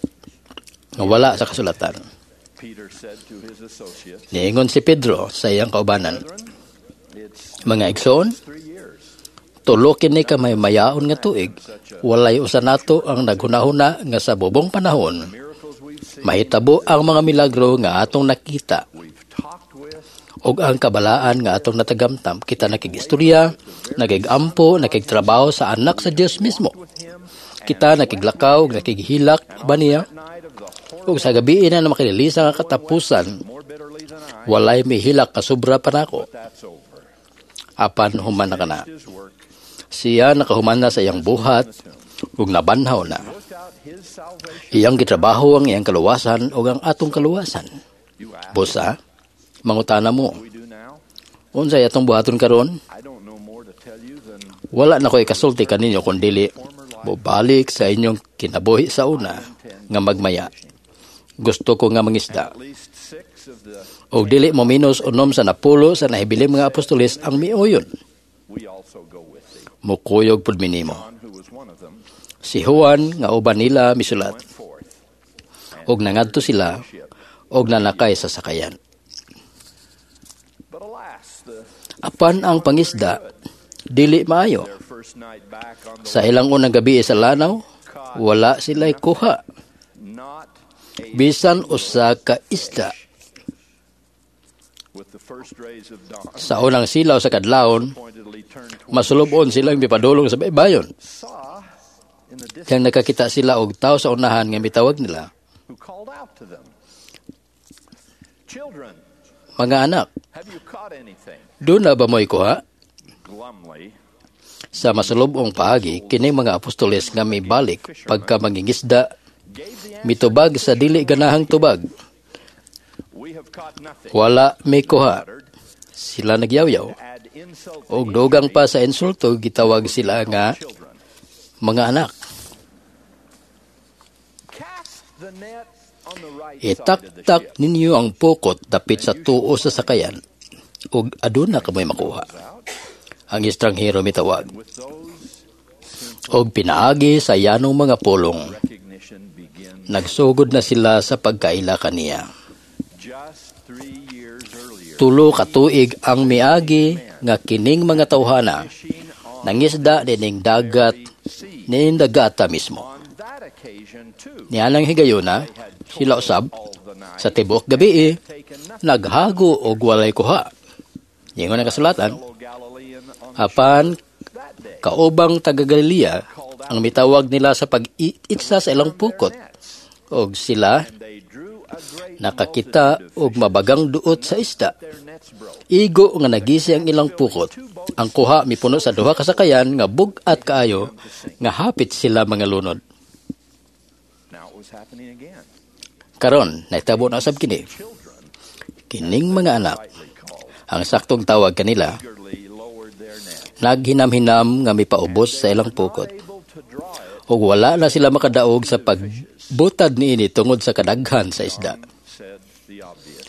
nga wala sa kasulatan." Niingon si Pedro sa iyang kaubanan, "Mga igsoon, tulo kini ka may mayaon nga tuig, walay usa nato ang naghunahuna nga sa bubong panahon mahitabo ang mga milagro nga atong nakita og ang kabalaan nga atong natagamtam. Kita nakigistorya, nakigampo, nakigtrabaho sa anak sa Dios mismo. Kita nakiglakaw, nakighilak ba niya? Ug sa gabi na makililisa nga katapusan, walay mihilak kasubra pa nako. Apan human na kana. Siya nakahuman na sa iyang buhat ug nabanhaw na. Iyang gitrabaho ang iyang kaluwasan ug ang atong kaluwasan. Busa, mangutana mo, unsay atong buhaton karon? Wala na ko ikasulti kaninyo kun dili mobalik sa inyong kinabuhi sa una nga magmaya. Gusto ko nga mangisda." Og dili mo minus 9 sa 10 sa nahibiling mga apostoles ang miuyon. Mukuyog pud minimo. Si Juan nga uban nila misulat, og nangadto sila og nanakay sa sakayan. Apan ang pangisda dili maayo. Sa ilang unang gabi sa lanaw, wala sila'y kuha bisan usa ka isda. Sa unang silaw sa kadlawon, masulubon silang mipadulong sa baybayon. Kaya nakakita sila og tao sa unahan nga mitawag nila, "Mga anak, doon na ba mo'y kuha?" Sa masulubong paagi, kini mga apostoles nga mibalik pagka mangingisda, mitubag sa dili ganahang tubag. "Wala mi kuha." Sila nagyawyaw. Og dugang pa sa insulto, gitawag sila nga mga anak. "Itaktak ninyo ang pukot dapit sa tuo sa sakayan, ug aduna kamoy makuha." Ang estranghero mitawag. Og pinaagi sa yanong mga pulong, nagsugod na sila sa pagkaila kaniya. 3 ka tuig ang miagi nga kining mga tawhana nangisda nining dagat nining dagata mismo. Nianang higayuna sila usab sa tibuok gabi naghago og walay kuha. Ingon ang kasulatan, apan kaubang taga Galilea ang mitawag nila sa pag-itsa sa ilang pukot, og sila nakakita og mabagang duot sa isda. Igo nga nagisi ang ilang pukot. Ang kuha mipuno sa 2 ka sakayan nga bug-at kaayo nga hapit sila mga lunod. Karon nahitabo na usab kini. Kining mga anak, ang saktong tawag kanila, naghinam-hinam nga mipaubos sa ilang pukot. Ug wala na sila makadaog sa pagbutad niini tungod sa kadaghan sa isda.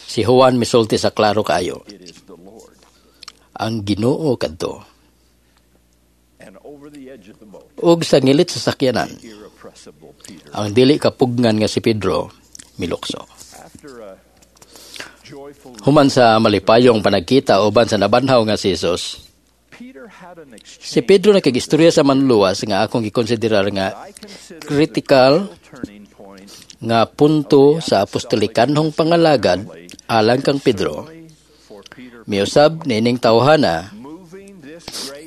Si Juan misulti sa klaro kaayo, ang Ginoo kadto. Ug sa ngilit sa sakyanan, ang dili kapugnan nga si Pedro milukso. Human sa malipayong panagkita uban sa nabanhaw nga si Jesus, si Pedro nakigistorya sa manluluwas nga akong gikonsiderar nga critical nga punto sa apostolikanhong pangalagad alang kang Pedro. Miusab niining tawhana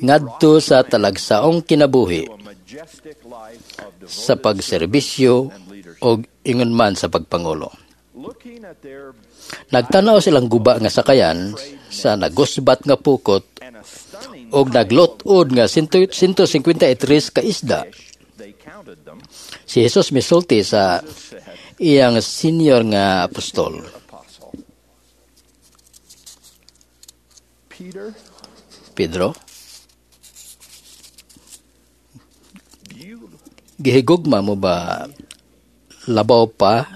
ngadto sa talagsaong kinabuhi sa pagserbisyo og ingon man sa pagpangulo. Nagtanaw silang guba nga sakayan sa nagusbat nga pukot og naglot-od nga 153 ka isda. Si Jesus misulti sa iyang senior nga apostol. Pedro, gihigugma mo ba labaw pa?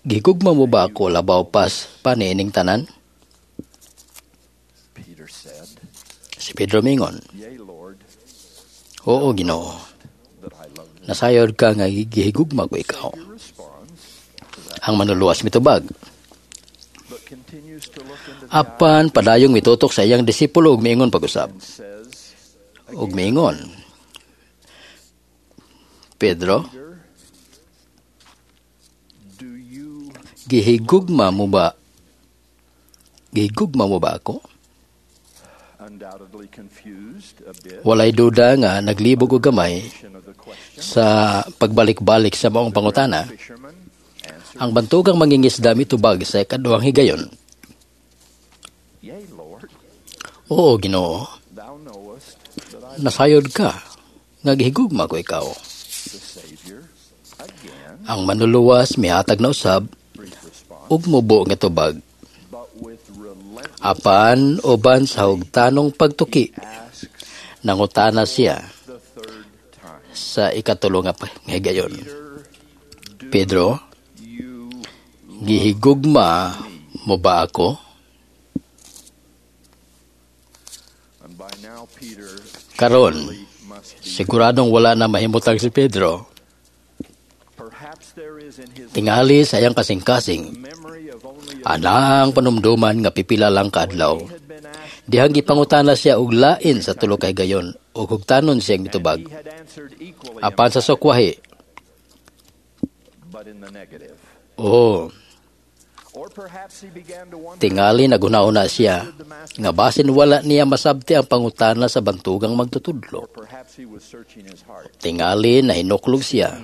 Gihigugma mo ba ako labaw pa niining tanan? Si Pedro mingon, oo, Ginoo, nasayod ka nga gihigugma ko ikaw. Ang manluluwas mitubag. Apan padayong mitutok sa iyang disipulo ug miingon pag-usab. Ug miingon, Pedro, gihigugma mo ba ako? Walay duda nga naglibog og gamay sa pagbalik-balik sa maong pangutana. Ang bantugang mangingisda mitubag sa ikaduhang higayon. Oo, Ginoo, nasayod ka nga gihigugma ko ikaw. Ang manluluwas mihatag na usab ug mubo nga tubag. Apan uban sa hugtanong pagtuki, nangutana siya sa ikatulo nga higayon. Pedro, gihigugma mo ba ako? Karon, siguradong wala na mahimutang si Pedro. Tingali sa iyang kasing-kasing, anang panumduman nga pipila lang kaadlaw. Dihang gipangutana siya og lain sa tulo ka higayon ug hugtanon siyang mitubag. Apan sa sukwahi, oo, tingali naghuna-huna siya nga basin wala niya masabti ang pangutana sa bantugang magtutudlo. Tingali nahinuklog siya,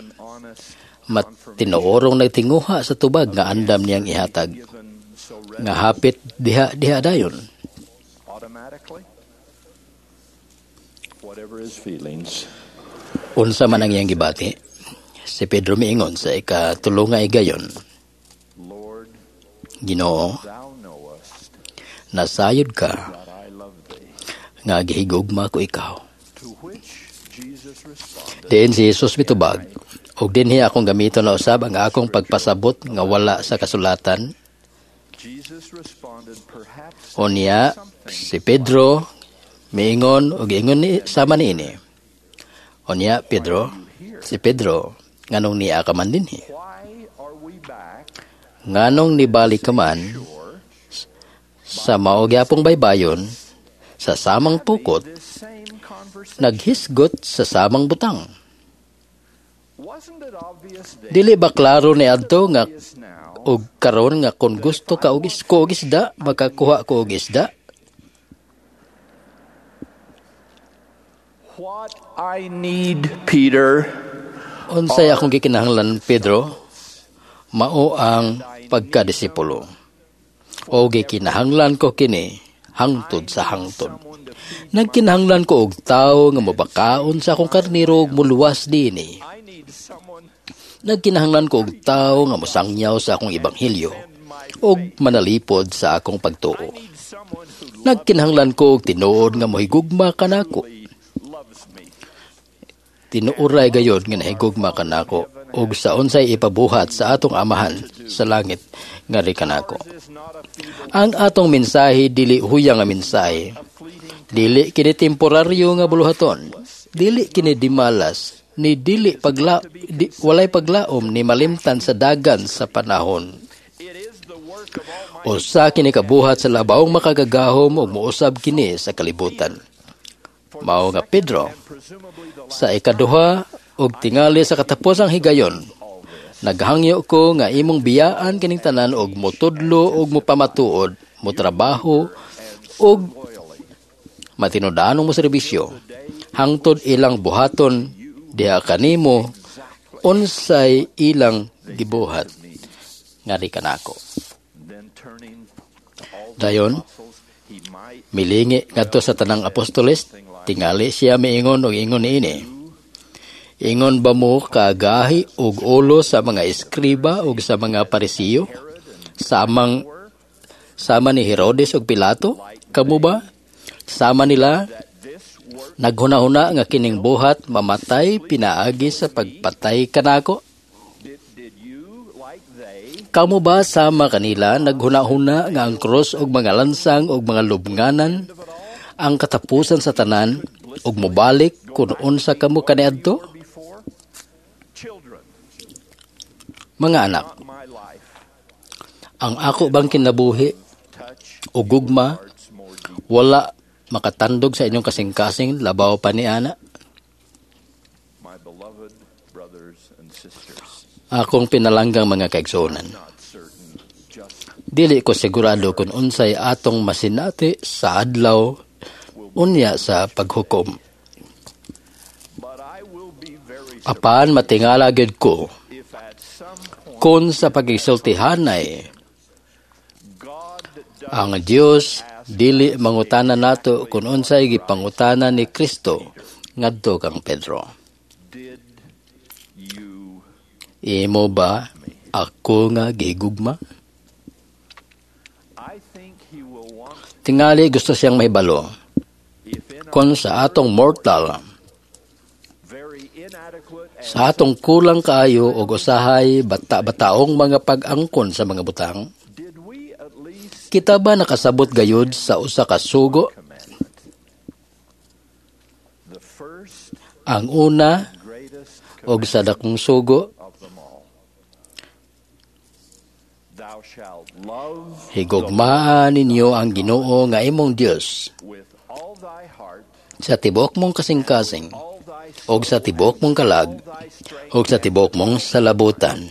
matinuorong nagtinguha sa tubag nga andam niyang ihatag, nga hapit diha dayon. Unsa man ang iyang gibati, si Pedro miingon sa ikatulo nga higayon, Ginoo, nasayod ka nga gihigugma ko ikaw. Diin si Jesus mitubag, og dinhi akong gamiton na usab ang akong pagpasabot nga wala sa kasulatan. Unya, si Pedro Miingon og ingon ni sama niini. Unya Pedro, si Pedro, nganong niya ka man dinhi? Nganong nibalik ka man sa mao gyapong baybayon sa samang pukot, naghisgot sa samang butang? Dili ba klaro ni adto nga og karon nga kon gusto ka og isko og isda, makakuha ko og isda? What I need, Peter, unsay akong gikinahanglan, Pedro, mao ang pagkadisipulo. O gikinahanglan ko kini hangtod sa hangtod. Nagkinahanglan ko og tawo nga mobakaon sa akong karniro ug moluwas dinhi. Nagkinahanglan ko og tawo nga mosangyaw sa akong ebanghelyo ug manalipod sa akong pagtuo. Nagkinahanglan ko og tinuod nga mohigugma kanako. Tinuoray gayod nga nahigugma kanako ug sa unsay ipabuhat sa atong Amahan sa langit ngari kanako. Ang atong mensahe dili huyang nga mensahe. Dili kini temporaryo nga buluhaton. Dili kini dimalas ni dili walay paglaom ni malimtan sa dagan sa panahon. Usa kini kabuhat sa labawong makagagahom ug mousab kini sa kalibutan. Mao nga Pedro, sa ikaduha og tingali sa katapusang higayon, naghangyo ko nga imong biyaan kining tanan og motudlo og mopamatuod, motrabaho og matinud-anong moserbisyo hangtod ilang buhaton diha kanimo unsay ilang gibuhat ngari kanako. Dayon milingi ngadto sa tanang apostoles, tingali siya miingon og ingon niini. Ingon ba mo kagahi og ulo sa mga eskriba og sa mga Parisiyo? Sama ni Herodes og Pilato? Kamo ba? Sama nila? Naghuna-huna nga kining buhat mamatay pinaagi sa pagpatay kanako? Kamo ba sama kanila naghuna-huna nga ang krus og mga lansang og mga lubnganan ang katapusan sa tanan ug mobalik kun unsa kamo kaniadto? Mga anak, ang ako bang kinabuhi o gugma wala makatandog sa inyong kasing-kasing labaw pa ni ana? Akong pinalanggang mga kaigsuonan, dili ko sigurado kung unsay atong masinati sa adlaw unya sa paghukom. Apan matingala gyud ko kung sa pagigsultihanay ang Dios dili mangutana nato kung unsay gipangutana ni Kristo ngadto kang Pedro. Imo ba ako nga gigugma? Tingali gusto siyang mahibalo kung sa atong mortal, sa atong kulang kaayo og usahay bata-bataong mga pag-angkon sa mga butang, kita ba nakasabot gayud sa usa ka sugo? Ang una og sa dakong sugo, higugmaa ninyo ang Ginoo nga imong Dios sa tibuok mong kasing-kasing, og sa tibuok mong kalag, og sa tibuok mong salabutan.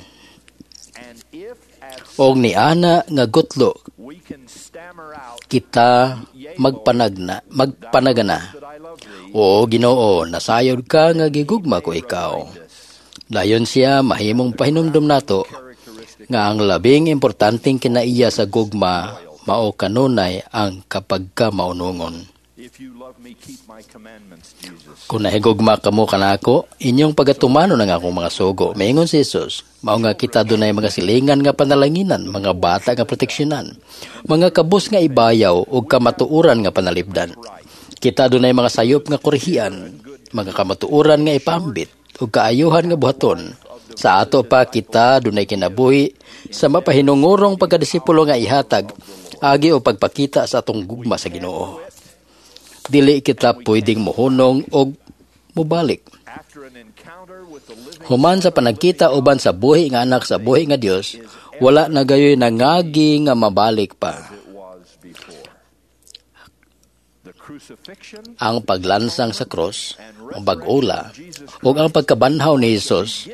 Og niana nga gutlo kita magpanagana. Oo Ginoo, nasayod ka nga gigugma ko ikaw. Dayon siya mahimong pahinumdom nato nga ang labing importanteng kinaiya sa gugma mao kanunay ang kapagka-maunungon. Kung nahigugma kamo kanako, inyong pagatumanon ang akong mga sugo. Maingon si Jesus, mao nga kita dunay mga silingan nga panalanginan, mga bata nga proteksyonan, mga kabus nga ibayaw ug kamatuoran nga panalipdan. Kita dunay mga sayop nga korehian, mga kamatuoran nga ipambit ug kaayuhan nga buhaton. Sa ato pa kita dunay kinabuhi sa mapahinungurong pagkadisipulo nga ihatag agi o pagpakita sa atong gugma sa Ginoo. Dili kita pwedeng mohunong og mobalik. Human sa panagkita uban sa buhi nga anak sa buhi nga Dios, wala na gayoy nangagi nga mabalik pa. Ang paglansang sa cross, ang pag-ula, ug ang pagkabanhaw ni Hesus,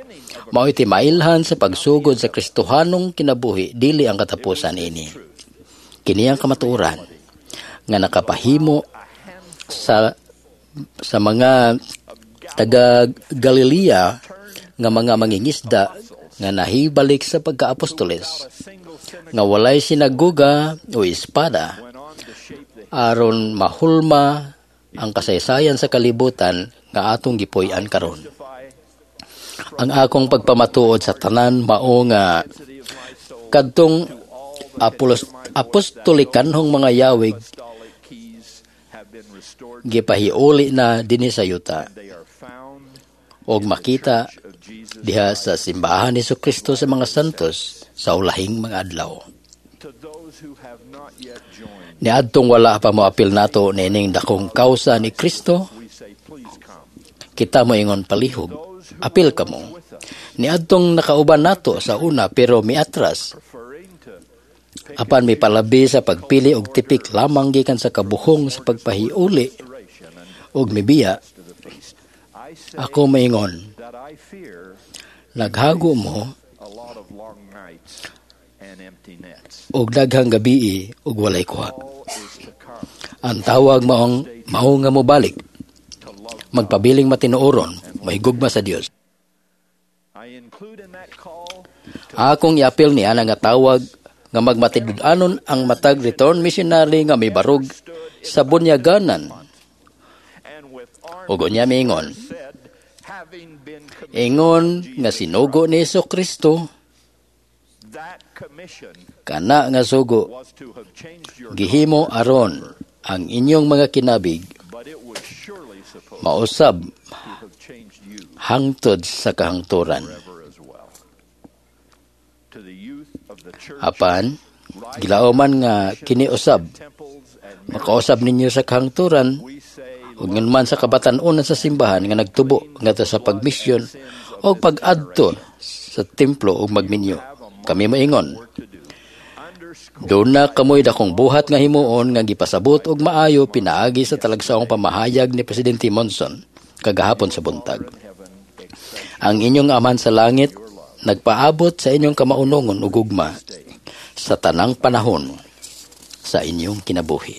mao'y timailhan sa pagsugod sa Kristohanong kinabuhi, dili ang katapusan ini. Kini ang kamatuoran nga nakapahimo sa mga taga Galilea nga mga mangingisda nga nahibalik sa pagkaapostoles, nga walay sinagoga o espada aron mahulma ang kasaysayan sa kalibutan nga atong gipuy-an karon. Ang akong pagpamatuod sa tanan mao nga kadtong apostolikanhong mga yawig gipahiuli na dinhi sa yuta og makita diha sa simbahan ni Jesucristo sa mga santos sa ulahing mga adlaw. Niadtong wala pa moapil nato niining dakong kausa ni Kristo, kita moingon palihog, apil kamo. Niadtong nakauban nato sa una pero miatras, apan mipalabi sa pagpili og tipik lamang gikan sa kabuhong sa pagpahiuli og mibiya, ako maingon, naghago mo og daghang gabii og walay kuha. Ang tawag maong mao nga mobalik, magpabiling matinuoron, mahigugma sa Dios. Akong iapil niya nga tawag nga magmatinud-anon ang matag return missionary nga mibarog sa bunyaganan. Ug unya miingon, ingon nga sinugo ni Jesucristo, kana nga sugo gihimo aron ang inyong mga kinabig mausab hangtod sa kahangturan. Apan gilaoman nga kiniusab, makausab ninyo sa kahangturan ug man sa kabatan-onan sa simbahan nga nagtubo ngadto sa pagmisyon o pag-adto sa templo ug magminyo. Kami maingon, doon na kamoy dakong buhat nga himuon nga gipasabot og maayo pinaagi sa talagsaong pamahayag ni Presidente Monson kagahapon sa buntag. Ang inyong Amahan sa langit nagpaabot sa inyong kamaunongon ug gugma sa tanang panahon sa inyong kinabuhi.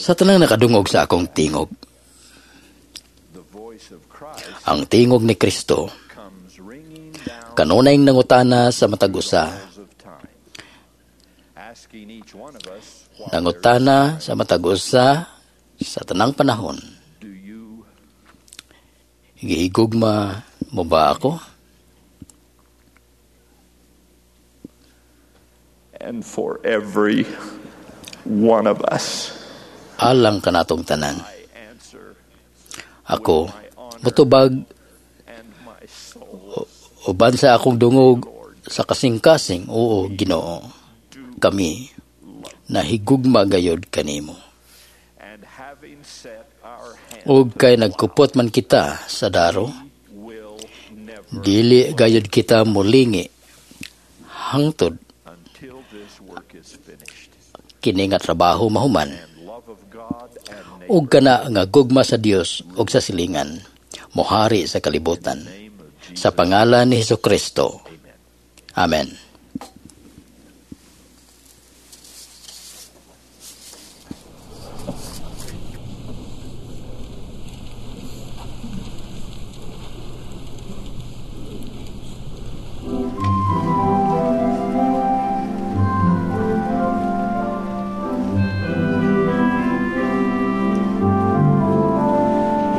Sa tanang nakadungog sa akong tingog, ang tingog ni Kristo kanunay nangutana sa matag usa. Nangutana sa matag usa sa tanang panahon. Gihigugma mo ba ako? And for every one of us, alang kanatong tanan. Ako mutubag uban sa akong dungog sa kasing-kasing, oo Ginoo, kami nahigugma gayod kanimo. Ug kay nagkupot man kita sa daro, dili gayod kita mulingi hangtod kini nga trabaho mahuman. Ug kana nga gugma sa Dios ug sa silingan mohari sa kalibutan. Sa pangalan ni Jesucristo. Amen.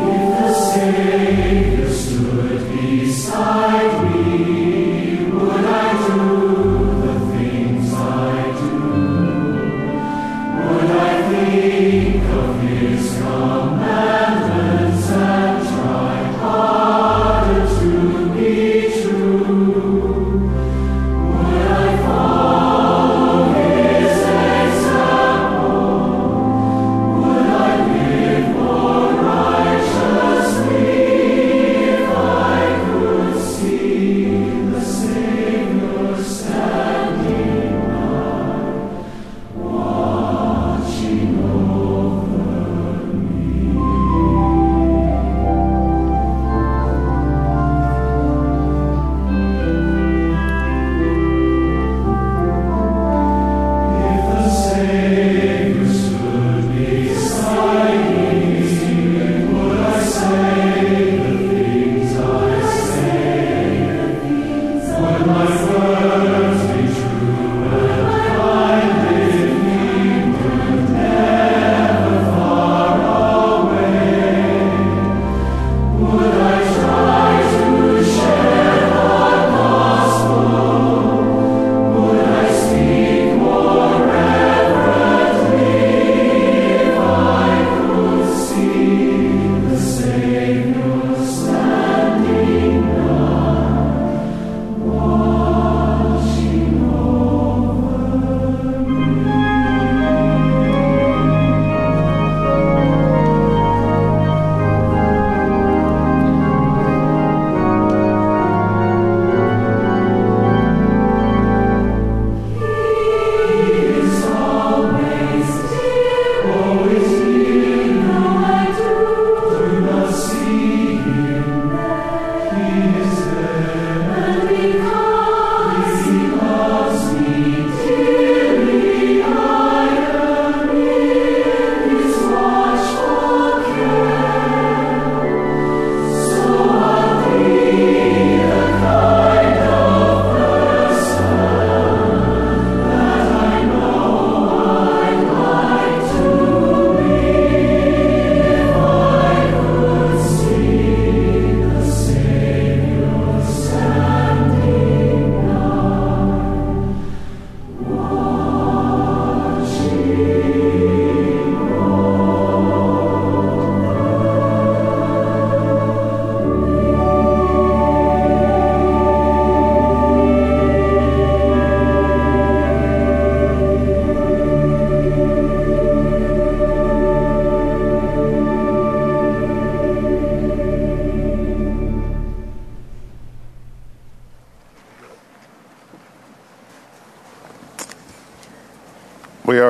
If the Savior stood beside me, would I do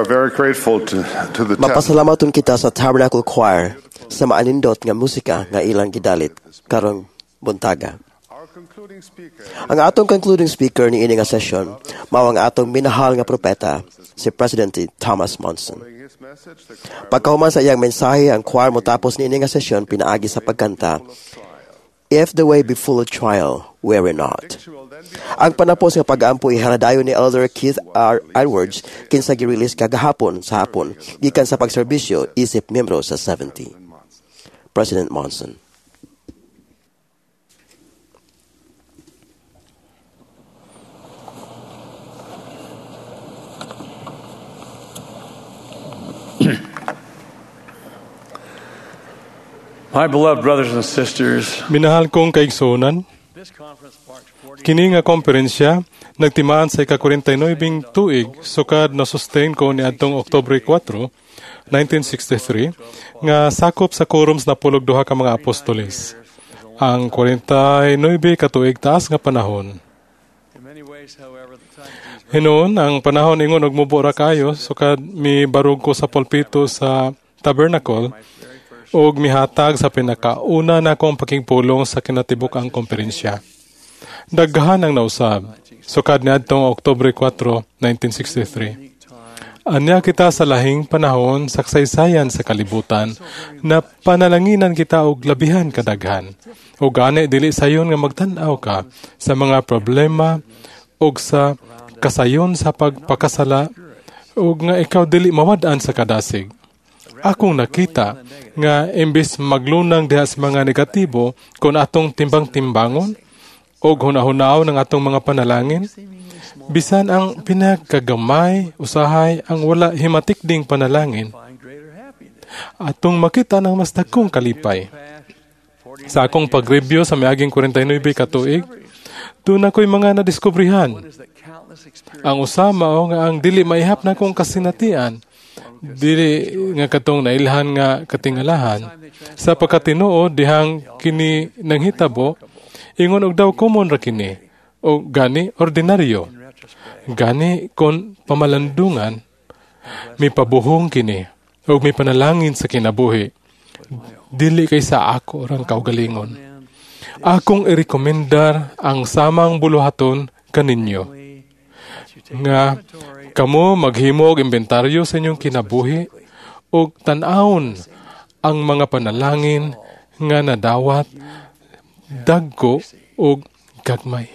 are very grateful to the Mapasalamaton kita sa Tabernacle Choir sa maanindot nga musika nga ilang gidalit karong buntaga. Ang atong concluding speaker ni ini nga session mao ang atong minahal nga propeta si President Thomas Monson. Pagkahuman sa iyang mensahe, ang choir motapos ni ini nga session pinaagi sa pagkanta If the way be full of trial, weary not. Ang panapos nga pag-ampo iharadayon ni Elder Keith R. Edwards kinsa gi-release kagahapon sa hapon gikan sa pagserbisyo isip miyembro sa 70. President Monson. My beloved brothers and sisters, Minahal kong kaigsuonan, kini nga komperensya nagtimaan sa ika-49 tuig sukad na sustain ko niadtong Oktubre 4, 1963 nga sakop sa quorum sa napulog duha ka mga apostoles. Ang 49 ka tuig taas nga panahon. Hinuon ang panahon ingon og mubo ra kayo sukad mibarog ko sa pulpito sa Tabernacle ug mihatag sa pinakauna na akong pakigpulong sa kinatibuk-ang komperensya. Daghan ang nausab, sukad niadtong Oktubre 4, 1963. Anya kita sa lahing panahon sa kasaysayan sa kalibutan na panalanginan kita og labihan kadaghan. O gani dili sayon nga magtan-aw ka sa mga problema og sa kasayon sa pagpakasala ug nga ikaw dili mawad-an sa kadasig. Akong nakita nga imbes maglunang diha sa mga negatibo kon atong timbang-timbangon og hunahunao ng atong mga panalangin, bisan ang pinakagamay usahay ang wala himatikding panalangin, atong makita ng mas dagkong kalipay. Sa akong pag-review sa miaging 49 ka tuig, doon ako'y mga nadiskubrihan. Ang usa mao nga ang dili maihap na akong kasinatian, dili nga katong nailhan nga katingalahan, sa pagkatinuod dihang kini nanghitabo, ingon og daw common ra kini o gani ordinaryo. Gani kon pamalandungan, mipabuhong kini og mipanalangin sa kinabuhi. Dili kay sa ako rang kaugalingon. Akong irekomendar ang samang buluhaton kaninyo nga kamo maghimo og inventaryo sa inyong kinabuhi ug tan-awon ang mga panalangin nga nadawat dagko ug gagmay.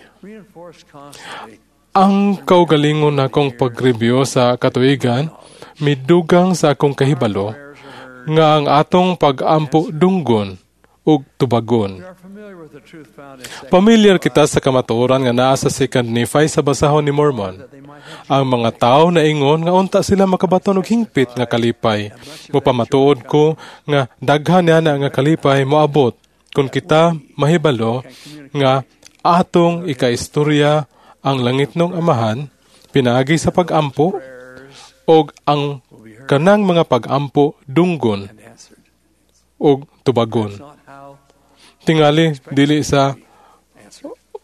Ang kaugalingon nakong pag-review sa katuigan midugang sa akong kahibalo nga ang atong pag-ampo dunggon ug tubagon. Pamilyar kita sa kamatuoran nga naa sa 2 Nephi sa basahon ni Mormon. Ang mga tao na ingon nga unta sila makabaton og hingpit nga kalipay. Mupamatuod ko nga daghan niya na nga kalipay moabot kung kita mahibalo nga atong ikaistorya ang langitnong amahan pinaagi sa pag-ampo og ang kanang mga pag-ampo dunggon og tubagon. Tingali dili sa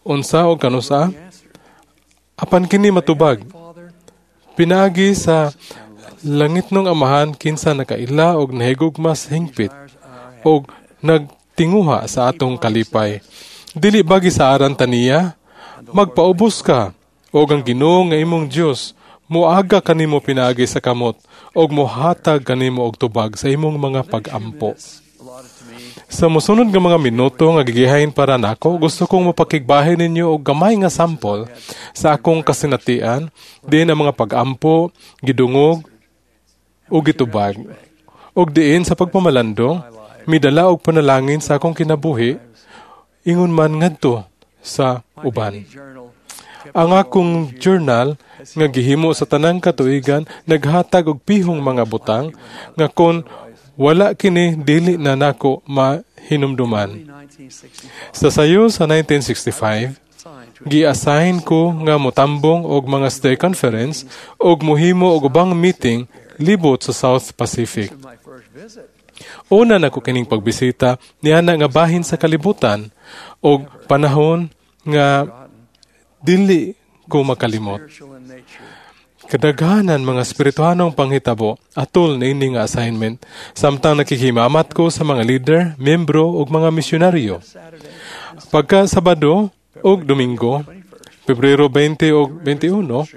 unsa o kanusa, apan kini matubag. Pinaagi sa langitnong amahan kinsa nakaila og nahigugmas hingpit og nagtinguha sa atong kalipay. Dili bagi sa aran taniya, magpaubos ka og ang Ginoo nga imong Dios moaga kanimo pinaagi sa kamot og mohatag kanimo og tubag sa imong mga pag-ampo. Sa mosunod nga mga minuto nga gigihain para nako, gusto kong mapakigbahin ninyo og gamay nga sample sa akong kasinatian diin ang mga pag-ampo, gidungog ug gitubag. Ug diin sa pagpamalandong, midala og panalangin sa akong kinabuhi, ingon man ngadto sa uban. Ang akong journal nga gihimo sa tanang katuigan naghatag og pihong mga butang nga kon wala kini dili na nako mahinumduman. Sa sayo sa 1965, gi-assign ko nga motambong og mga stay conference og mohimo og ubang meeting libot sa South Pacific. Una nako kining pagbisita niana nga bahin sa kalibutan og panahon nga dili ko makalimot. Kadaghanan mga espirituhanong panghitabo atol niini nga assignment samtang nakikimamat ko sa mga leader, membro ug mga misyonaryo. Pagka Sabado ug Domingo, Pebrero 20 ug 21,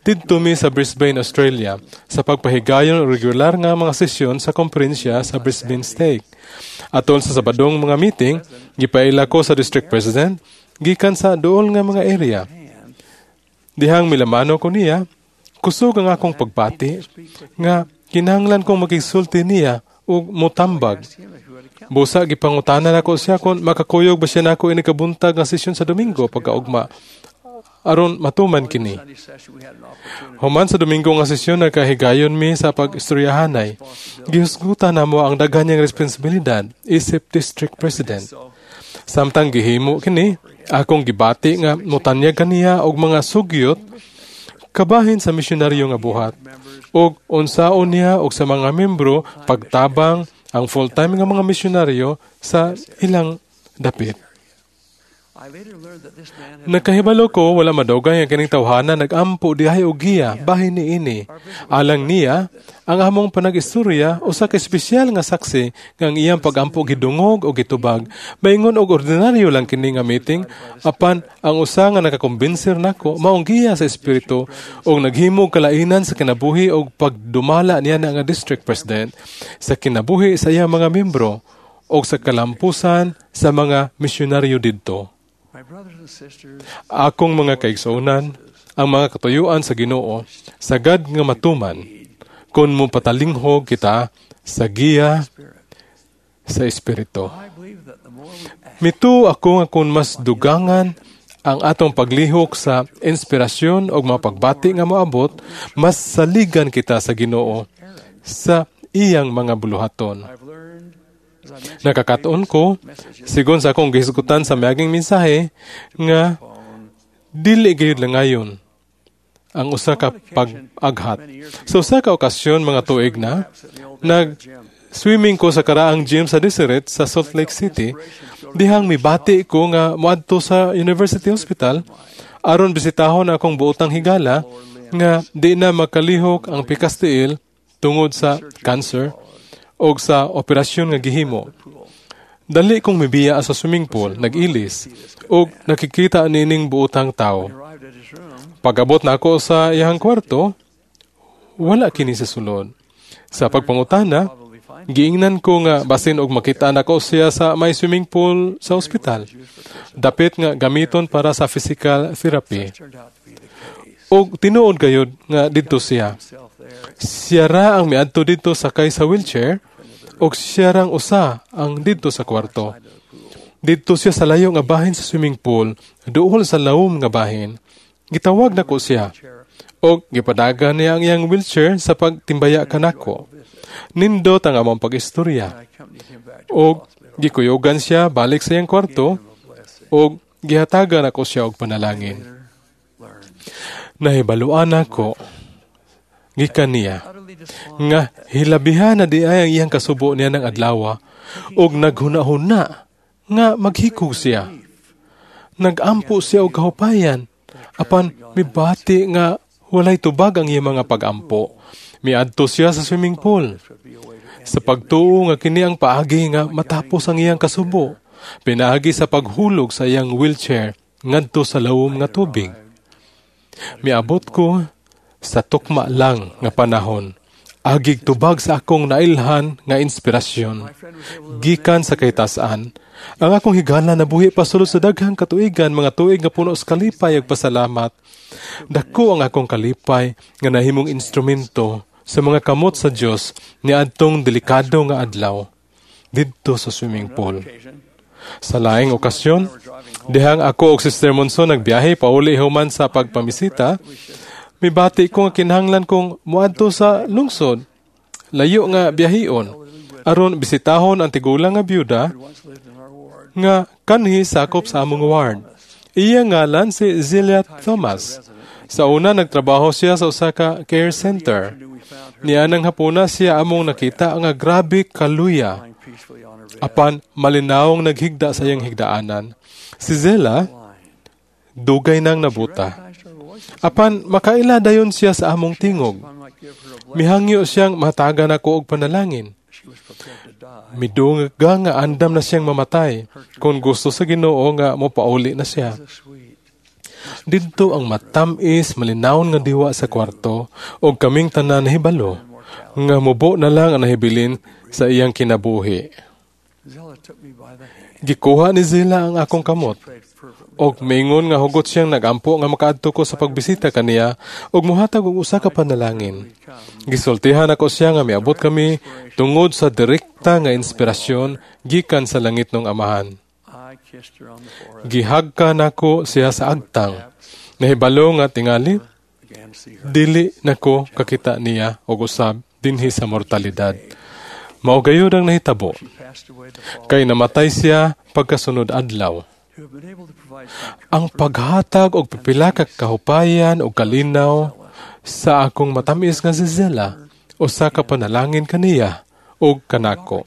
didto mi sa Brisbane, Australia sa pagpahigayon og regular nga mga sesyon sa komperensya sa Brisbane Stake. Atol sa Sabadong mga meeting, gipaila ko sa district president gikan sa duol nga mga area. Dihang milamano ko niya, kusog ang akong pagbati nga kinahanglan kong makigsulti niya ug motambag. Busa gipangutana nako siya kung makakuyog ba siya nako ini kabuntag nga sesyon sa Domingo pagkaugma aron matuman kini. Human sa Domingo nga sesyon nagkahigayon mi sa pag-istoryahanay. Gihusgutan namo ang daghan niyang responsibilidad isip district president. Samtang gihimo kini, akong gibati nga motanyag kaniya og mga sugyot kabahin sa misyonaryo nga buhat ug unsaon niya og sa mga membro pagtabang ang full-time nga mga misyonaryo sa ilang dapit. Nakahibalo ko wala madugay ang kining tawhana nagampo dihay og giya bahin niini. Alang niya ang among panag-istorya usa ka espesyal nga saksi nga ang iyang pagampo gidungog o gitubag. Maingon og ordinaryo lang kini nga meeting apan ang usa nga nakakumbinser nako maong giya sa espiritu og naghimog kalainan sa kinabuhi og pagdumala niya na nga district president sa kinabuhi sa iyang mga membro og sa kalampusan sa mga misyonaryo didto. Akong mga kaigsuonan, ang mga katuyuan sa Ginoo, sagad nga matuman, kung mo patalinghog kita sa giya sa Espiritu. Mituo ako nga kung mas dugangan ang atong paglihok sa inspirasyon o mga pagbati nga moabot, mas saligan kita sa Ginoo sa iyang mga buluhaton. Nakakatuon ko, sigon sa akong gihisgutan sa miaging mensahe, nga dili gayud langayon ang usa ka pag-aghat. Sa usa ka okasyon mga tuig na, nag-swimming ko sa karaang gym sa Deseret sa Salt Lake City, dihang mibati ko nga moadto sa University Hospital aron bisitahon akong buotang higala nga di na makalihok ang pikas tiil tungod sa cancer og sa operasyon nga gihimo. Dali kong mibiya sa swimming pool, nag-ilis, og nakikita nining buotang tao. Pag-abot na ako sa iyang kwarto, wala kini sa sulod. Sa pagpangutana, giingnan ko nga basin og makita nako siya sa may swimming pool sa ospital. Dapit nga gamiton para sa physical therapy. Og tinuod gayud nga didto siya. Siya ra ang miadto didto sakay sa wheelchair og siya rang usa ang didto sa kwarto. Didto siya sa layo nga bahin sa swimming pool, duol sa lawom nga bahin. Gitawag nako siya og gipadagan niya ang iyang wheelchair sa pagtimbaya kanako. Nindot ang among pag-istorya. Og gikuyogan siya balik sa iyang kwarto og gihatagan ako siya og panalangin. Nahibaluan ako gikan niya nga hilabihan na di ay ang iyang kasubo niya ng adlawa og naghunahuna nga maghikog siya. Nagampo siya og kahupayan apan mibati nga walay tubag ang iyang mga pagampo. Miadto siya sa swimming pool. Sa pagtuo nga kini ang paagi nga matapos ang iyang kasubo, pinaagi sa paghulog sa iyang wheelchair ngadto sa lawom nga tubig. Miabot ko sa tukma lang nga panahon. Agig tubag sa akong nailhan nga inspirasyon. Gikan sa kaytasan, ang akong higala nabuhi pa sulod sa daghang katuigan, mga tuig nga puno sa kalipay ug pasalamat. Dako ang akong kalipay nga nahimong instrumento sa mga kamot sa Dios niadtong delikado nga adlaw didto sa swimming pool. Sa laing okasyon, dihang ako og Sister Monson nagbiyahe pauli human sa pagpamisita, mibati ko nga kinahanglan kong moadto sa lungsod, layo nga biyahion, aron bisitahon ang tigulang nga byuda nga kanhi sakop sa among ward. Iya ngalan si Zelia Thomas. Sa una nagtrabaho siya sa usa ka care center. Nianang hapuna siya among nakita nga grabe kaluya. Apan malinawong naghigda sa iyang higdaanan. Si Zella dugay nang nabuta. Apan makaila dayon siya sa among tingog. Mihangyo siyang matagan ako og panalangin. Midunga nga andam na siyang mamatay kung gusto sa Ginoo nga mopauli na siya. Didto ang matamis malinawon nga diwa sa kwarto og kaming tanan nahibalo nga mubo na lang ang nahibilin sa iyang kinabuhi. Gikuha ni Zilla ang akong kamot og miingon nga hugot siyang nagampo nga makaadto ko sa pagbisita kaniya og mohatag og usa ka panalangin. Gisultihan ako siya nga miabot kami tungod sa direkta nga inspirasyon gikan sa langit ng Amahan. Gihagka nako siya sa agtang. Nahibalo nga tingali dili nako kakita niya og usab dinhi sa mortalidad. Mao gayud ang nahitabo. Kay namatay siya pagkasunod adlaw. Ang paghatag og pipila ka kahupayan og kalinaw sa akong matamis nga si Zella, usa ka panalangin kaniya og kanako.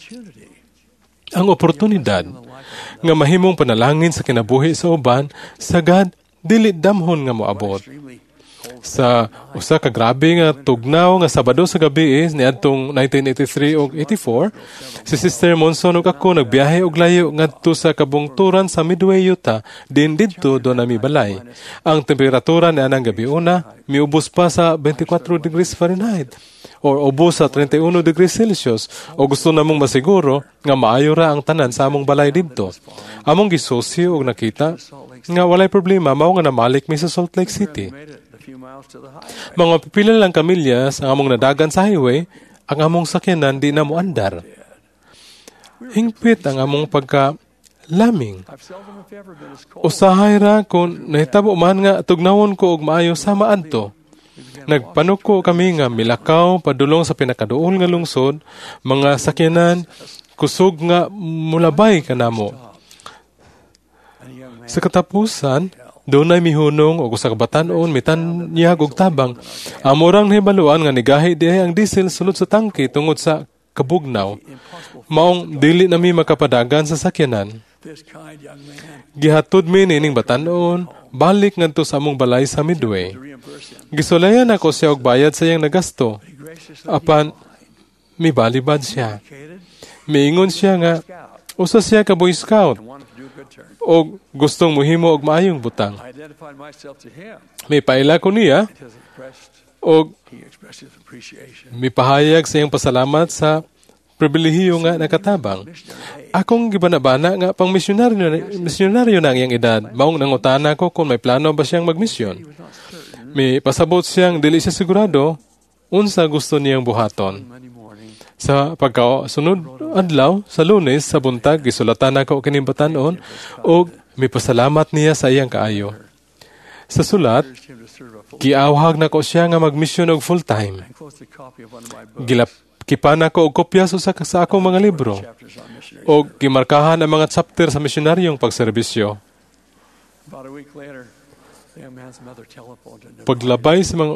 Ang oportunidad nga mahimong panalangin sa kinabuhi sa uban sagad dili damhon nga moabot. Sa usa ka grabe nga tugnaw nga Sabado sa gabi niadtong 1983 ug 84, si Sister Monson ug ako nagbiyahe og layo ngadto sa kabungturan sa Midway, Utah, din didto do nami balay. Ang temperatura nianang gabi una miubos pa sa 24 degrees Fahrenheit or ubos sa 31 degrees Celsius o gusto namong masiguro nga maayo ra ang tanan sa among balay didto. Among gisusi og nakita nga walay problema, mao nga namalik mi sa Salt Lake City. Mga pipila lang kamilyas ang among nadagan sa highway, ang among sakyanan di na moandar. Hingpit ang among pagka laming. Usahay ra kung nahitabo man nga tugnawon ko og maayo sama adto. Nagpanuko kami nga milakaw padulong sa pinakaduol nga lungsod, mga sakyanan kusog nga mulabay kanamo. Sa katapusan, dunay mihunong og usa ka batan-on mitanyag og tabang. Amorang nahibaluan nga nigahi diay ang diesel sulod sa tangke tungod sa kabugnaw. Maong dili nami makapadagan sa sakyanan. Gihatod mi niining batan-on balik ngadto sa among balay sa Midway. Gisulayan ako siya og bayad sa iyang nagasto. Apan mibalibad siya. Miingon siya nga usa siya ka Boy Scout og gustong muhimo og maayong butang. Mipaila ko niya og mipahayag sa iyang pasalamat sa pribilehiyo nga nakatabang. Akong gibanabana nga pang misyonaryo na ang iyang edad. Maong nangutana ko kung may plano ba siyang magmisyon. May pasabot siyang dili siya sigurado unsa gusto niyang buhaton. Sa pagkasunod adlaw sa Lunes sa buntag gisulatan nako kining batan-on og mipasalamat niya sa iyang kaayo. Sa sulat, giawhag nako siya nga magmisyon og full time. Gilakipan nako og kopya sa sa akong mga libro og gimarkahan ang mga chapter sa misyonaryong pagserbisyo. Paglabay sa mga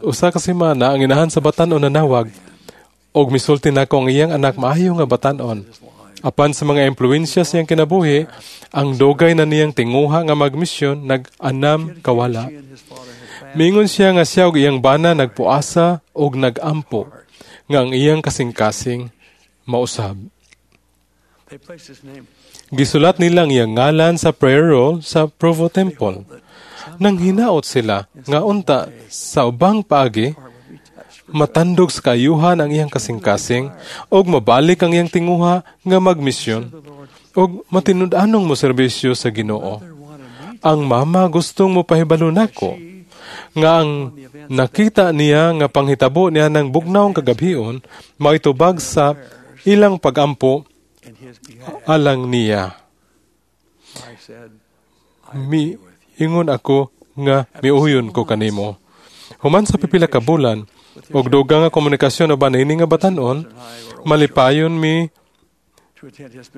usa ka semana, ang inahan sa batan-on nanawag og misulti nako ang iyang anak maayo nga batan-on. Apan sa mga impluwensya sa iyang kinabuhi, ang dugay na niyang tinguha nga magmisyon nag-anam kawala. Mingon siya nga siya og iyang bana nagpuasa og nagampo nga ang iyang kasing-kasing mausab. Gisulat nila ang iyang ngalan sa prayer roll sa Provo Temple. Nang hinaot sila nga unta sa ubang paagi, matandog sa kaayuhan ang iyang kasing-kasing og mabalik ang iyang tinguha nga magmisyon og matinud-anong moserbisyo sa Ginoo. Ang mama gustong mopahibalo nako nga ang nakita niya nga panghitabo niya ng bugnawng kagabhion maitubag sa ilang pagampo alang niya. Miingon ako nga miuyon ko kanimo. Human sa pipila ka bulan og dugang nga komunikasyon uban niini nga batan-on, malipayon mi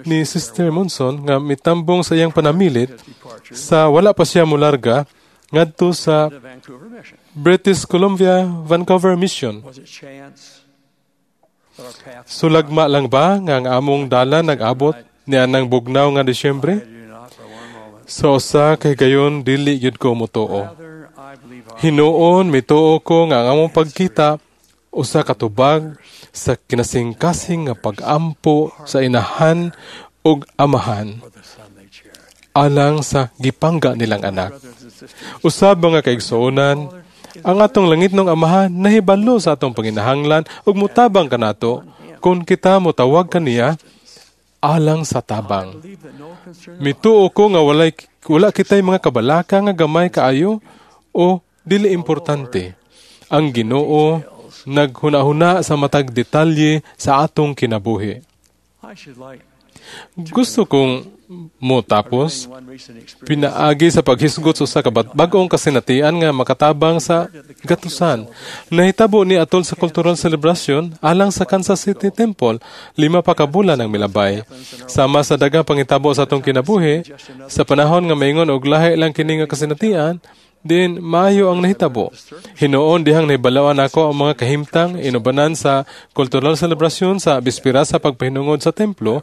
ni Sister Monson nga mitambong sa iyang panamilit sa wala pa siya mularga ngadto sa British Columbia Vancouver Mission. Sulagma lang ba nga ang among dala nag-abot nianang bugnaw nga Disyembre? Sa usa kay gayon dili gyud ko motuo. Hinuon, mituo ko nga ang among pagkita usa ka tubag sa kinasingkasing nga pag-ampo sa inahan ug amahan alang sa gipangga nilang anak. Usab, mga kaigsuonan, ang atong langitnong Amahan nahibalo sa atong panginahanglan ug mutabang kanato kung kita motawag kaniya alang sa tabang. Mituo ko nga wala kitay mga kabalaka nga gamay kaayo o dili importante. Ang Ginoo naghuna-huna sa matag detalye sa atong kinabuhi. Gusto kong mo tapos pinaagi sa paghisgot sa usa ka bag-ong kasinatian nga makatabang sa gatusan. Nahitabo ni atol sa cultural celebration alang sa Kansas City Temple 5 pa ka bulan ang milabay. Sama sa daghang pangitabo sa atong kinabuhi, sa panahon nga maingon og lahi lang kini nga kasinatian, din maayo ang nahitabo. Hinuon dihang nahibalawan ako ang mga kahimtang inubanan sa cultural celebration sa bispira sa pagpahinungod sa templo.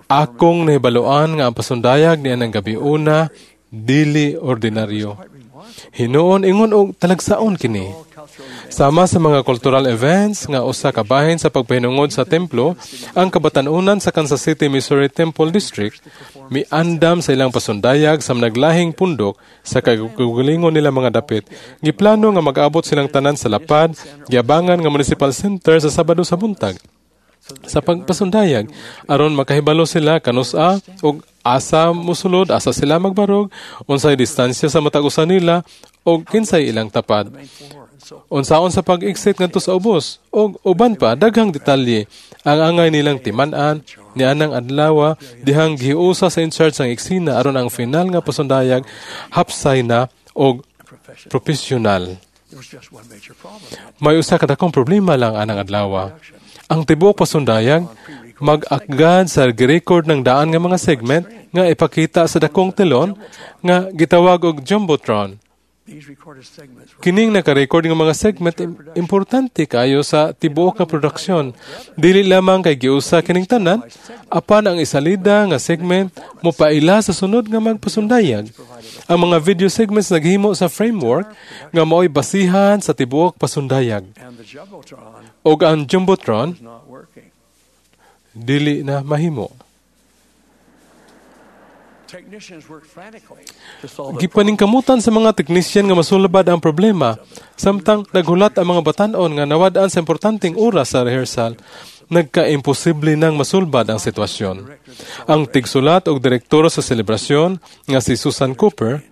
Akong nahibaluan nga ang pasundayag niya ng gabi una, dili ordinaryo. Hinuon ingon og talagsaon kini. Sama sa mga cultural events nga usa ka bahin sa pagpahinungod sa templo, ang kabatan-unan sa Kansas City, Missouri Temple District miandam sa ilang pasundayag sa naglahing pundok sa kagalingon nila mga dapit. Giplano nga mag-abot silang tanan sa lapad, giabangan nga municipal center sa Sabado sa buntag sa pagpasundayag aron makahibalo sila kanus-a og asa mosulod, asa sila magbarog, unsay distansya sa matag usa nila og kinsay ilang tapad. Unsaon sa pag-exit ngadto sa ubos og uban pa daghang detalye ang angay nilang timan-an nianang adlaw dihang giusa sa in charge ang eksena aron ang final nga pasundayag hapsay na og profesional. May usa ka dakong problema lang anang adlaw. Ang tibuok pasundayag mag-akgad sa girecord ng daan nga mga segment nga ipakita sa dakong telon nga gitawag og jumbotron. Kining naka-record nga mga segment importante kaayo sa tibuok nga produksyon. Dili lamang kay giusa kining tanan, apan ang isalida nga segment mopaila sa sunod nga magpasundayag. Ang mga video segments naghimo sa framework nga maoy basihan sa tibuok pasundayag. Og ang jumbotron dili na mahimo. Gipaningkamutan sa mga teknisyan nga masulbad ang problema, samtang naghulat ang mga batan-on nga nawad-an sa importanteng oras sa rehearsal, nagkaimposible nang masulbad ang sitwasyon. Ang tigsulat og direktor sa selebrasyon nga si Susan Cooper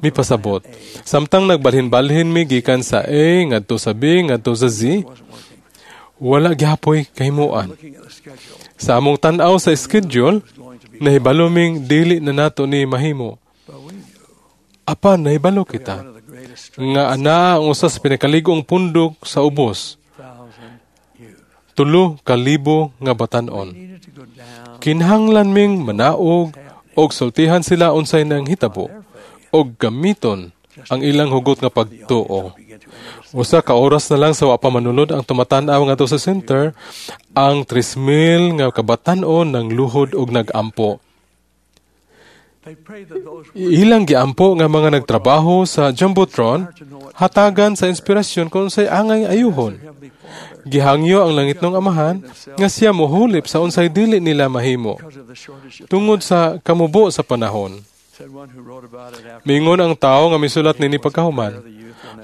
mipasabot. Samtang nagbalhin-balhin mi gikan sa A ngadto sa B ngadto sa Z, wala gihapoy kahimuan. Sa among tan-aw sa schedule, nahibalo ming dili na nato ni mahimo. Apan nahibalo kita nga ana ang usa sa pinakalig-ong pundok sa ubos, 3,000 nga batan-on. Kinahanglan ming manaog og sultihan sila unsay nang hitabo og gamiton ang ilang hugot nga pagtuo. Usa ka oras na lang sa wa pa manunod ang tumatan-aw ngadto sa center, ang 3,000 nga kabatan-on ng luhod og nagampo. Ilang giampo nga mga nagtrabaho sa Jumbotron hatagan sa inspirasyon kung unsay angay ayuhon. Gihangyo ang langitnong Amahan nga siya mohulip sa unsay dili nila mahimo tungod sa kamubo sa panahon. Mingon ang tao nga misulat nini pagkahuman,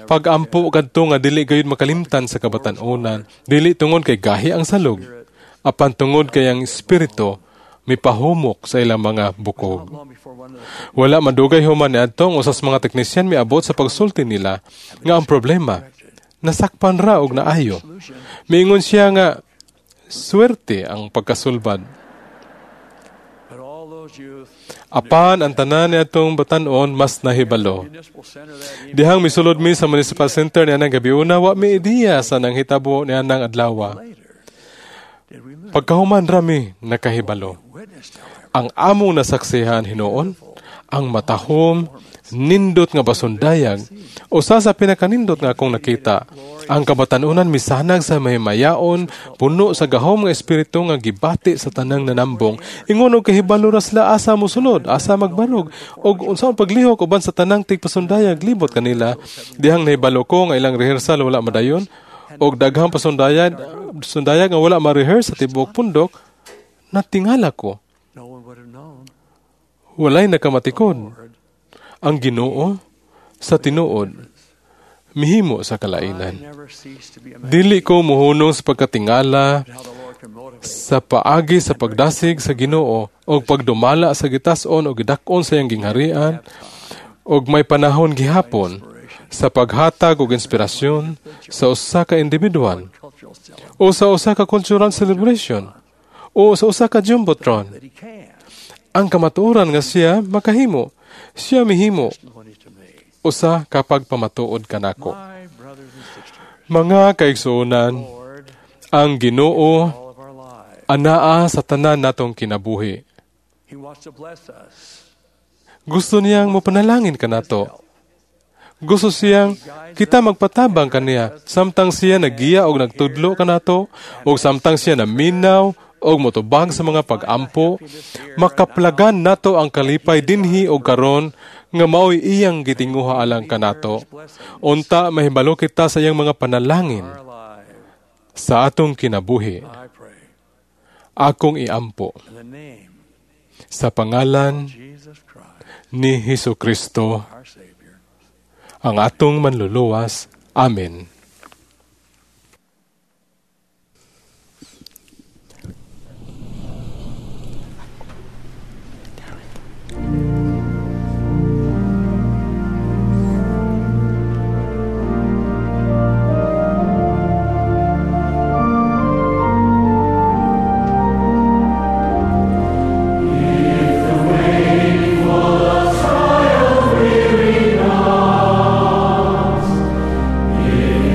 pag-ampo kadto nga dili gayud makalimtan sa kabatan-onan, dili tungod kay gahi ang salog, apan tungod kay ang espiritu mipahumok sa ilang mga bukog. Wala madugay human niadto ang usas mga teknisyan miabot sa pagsulti nila nga ang problema nasakpan ra og naayo. Miingon siya nga swerte ang pagkasulbad. Apan ang tanan niadtong batan-on mas nahibalo. Dihang misulod mi sa municipal center nianang gabi una, wa mi ideya sa nanghitabo nianang adlaw. Pagkahuman rami nakahibalo. Ang among nasaksihan hinuon, Ang matahom, nindot nga pasundayag, usa sa pinakanindot nga akong nakita. Ang kabatanunan misanag sa mahimayaon, puno sa gahom nga espiritu nga gibati sa tanang nanambong. Ingon og kahibalo ra sila asa mosulod, asa magbarog, og unsaon paglihok uban sa tanang tigpasundayag libot kanila. Dihang nahibalo ko nga ilang rehearsal wala madayon, og daghang pasundayag sundayag nga wala ma-rehearse sa tibuok pundok, natingala ko. Walay nakamatikod. Ang Ginoo sa tinuod mihimo sa kalainan. Dili ko muhunong sa pagkatingala sa paagi sa pagdasig sa Ginoo og pagdumala sa gitas-on o gidak-on sa iyang gingharian og may panahon gihapon sa paghatag og inspirasyon sa usa ka individual o sa usa ka cultural celebration o sa usa ka jumbotron. Ang kamatuoran nga siya makahimo, siya mihimo usa ka pagpamatuod kanako. Mga kaigsuonan, ang Ginoo anaa sa tanan natong kinabuhi. Gusto niyang mopanalangin kanato. Gusto siyang kita magpatabang kaniya samtang siya nagiya og nagtudlo kanato, og samtang siya naminaw og motubag sa mga pag-ampo, makaplagan nato ang kalipay dinhi og karon nga maoy iyang gitinguha alang kanato. Unta mahibalo kita sa iyang mga panalangin sa atong kinabuhi. Akong iampo sa pangalan ni Hesus Kristo, ang atong manluluwas. Amen. If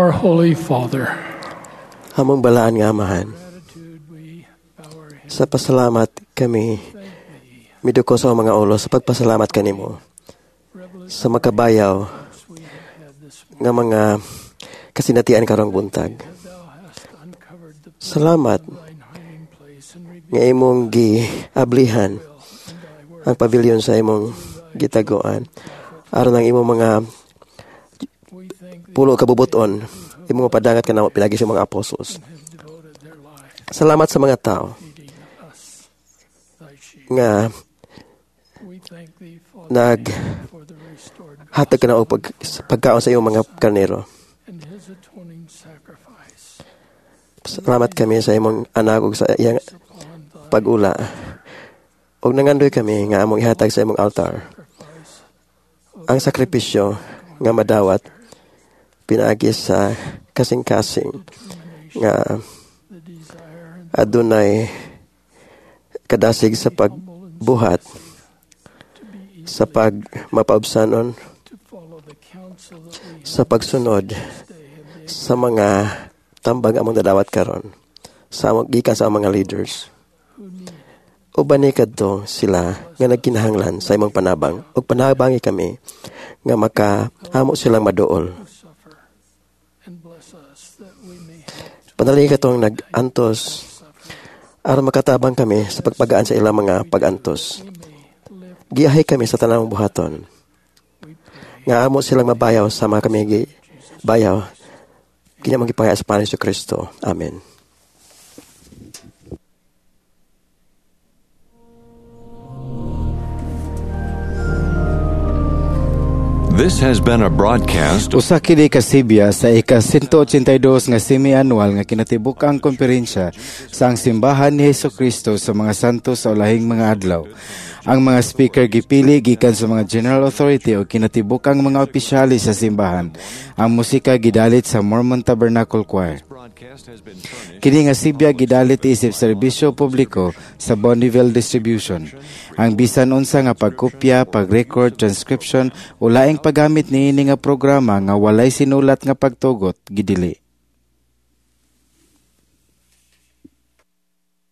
Our Holy Father, Among balaan nga Amahan, sa pasalamat kami miduko sa mga ulo sa pagpasalamat kanimo sa makabayaw nga mga kasinatian karong buntag. Salamat nga imong giablihan ang pavilion sa imong gitaguan aron ang imong mga pulo ka bubuton imong padangat kanamo pinagi sa mga apostles. Salamat sa mga tao nga nag hatag ka na og pagkaon sa iyong mga karnero. Salamat kami sa imong anak ug sa iyang pag-ula. Ug nangandoy kami nga among ihatag sa imong altar ang sakripisyo nga madawat pinaagi sa kasing-kasing nga adunay kadasig sa pagbuhat sa pagmapaubsanon sa pagsunod sa mga tambag among nadawat karon sa among gikan sa among mga leaders. Uban ni kadto sila nga nagkinahanglan sa imong panabang ug panabangi kami nga makahamo silang maduol. Panalangin katong nag-antos aron makatabang kami sa pagpagaan sa ilang mga pag-antos. Giyahe kami sa tanang buhaton nga amo silang mabayaw sama kami gi bayaw kinamang gipangaya sa pangalan ni Kristo. Amen. This has been a broadcast Usa kini ka sibya sa ika-182 nga semi-annual nga kinatibuk-ang komperensya sa ang Simbahan ni Hesukristo sa mga santo sa ulahing mga adlaw. Ang mga speaker gipili gikan sa mga general authority o kinatibuk-ang mga opisyalis sa simbahan. Ang musika gidalit sa Mormon Tabernacle Choir. Kini nga sibya gidalit isip serbisyo publiko sa Bonneville Distribution. Ang bisan unsa nga pagkopya, pag-record, transcription o laing paggamit niini nga programa nga walay sinulat nga pagtugot gidili.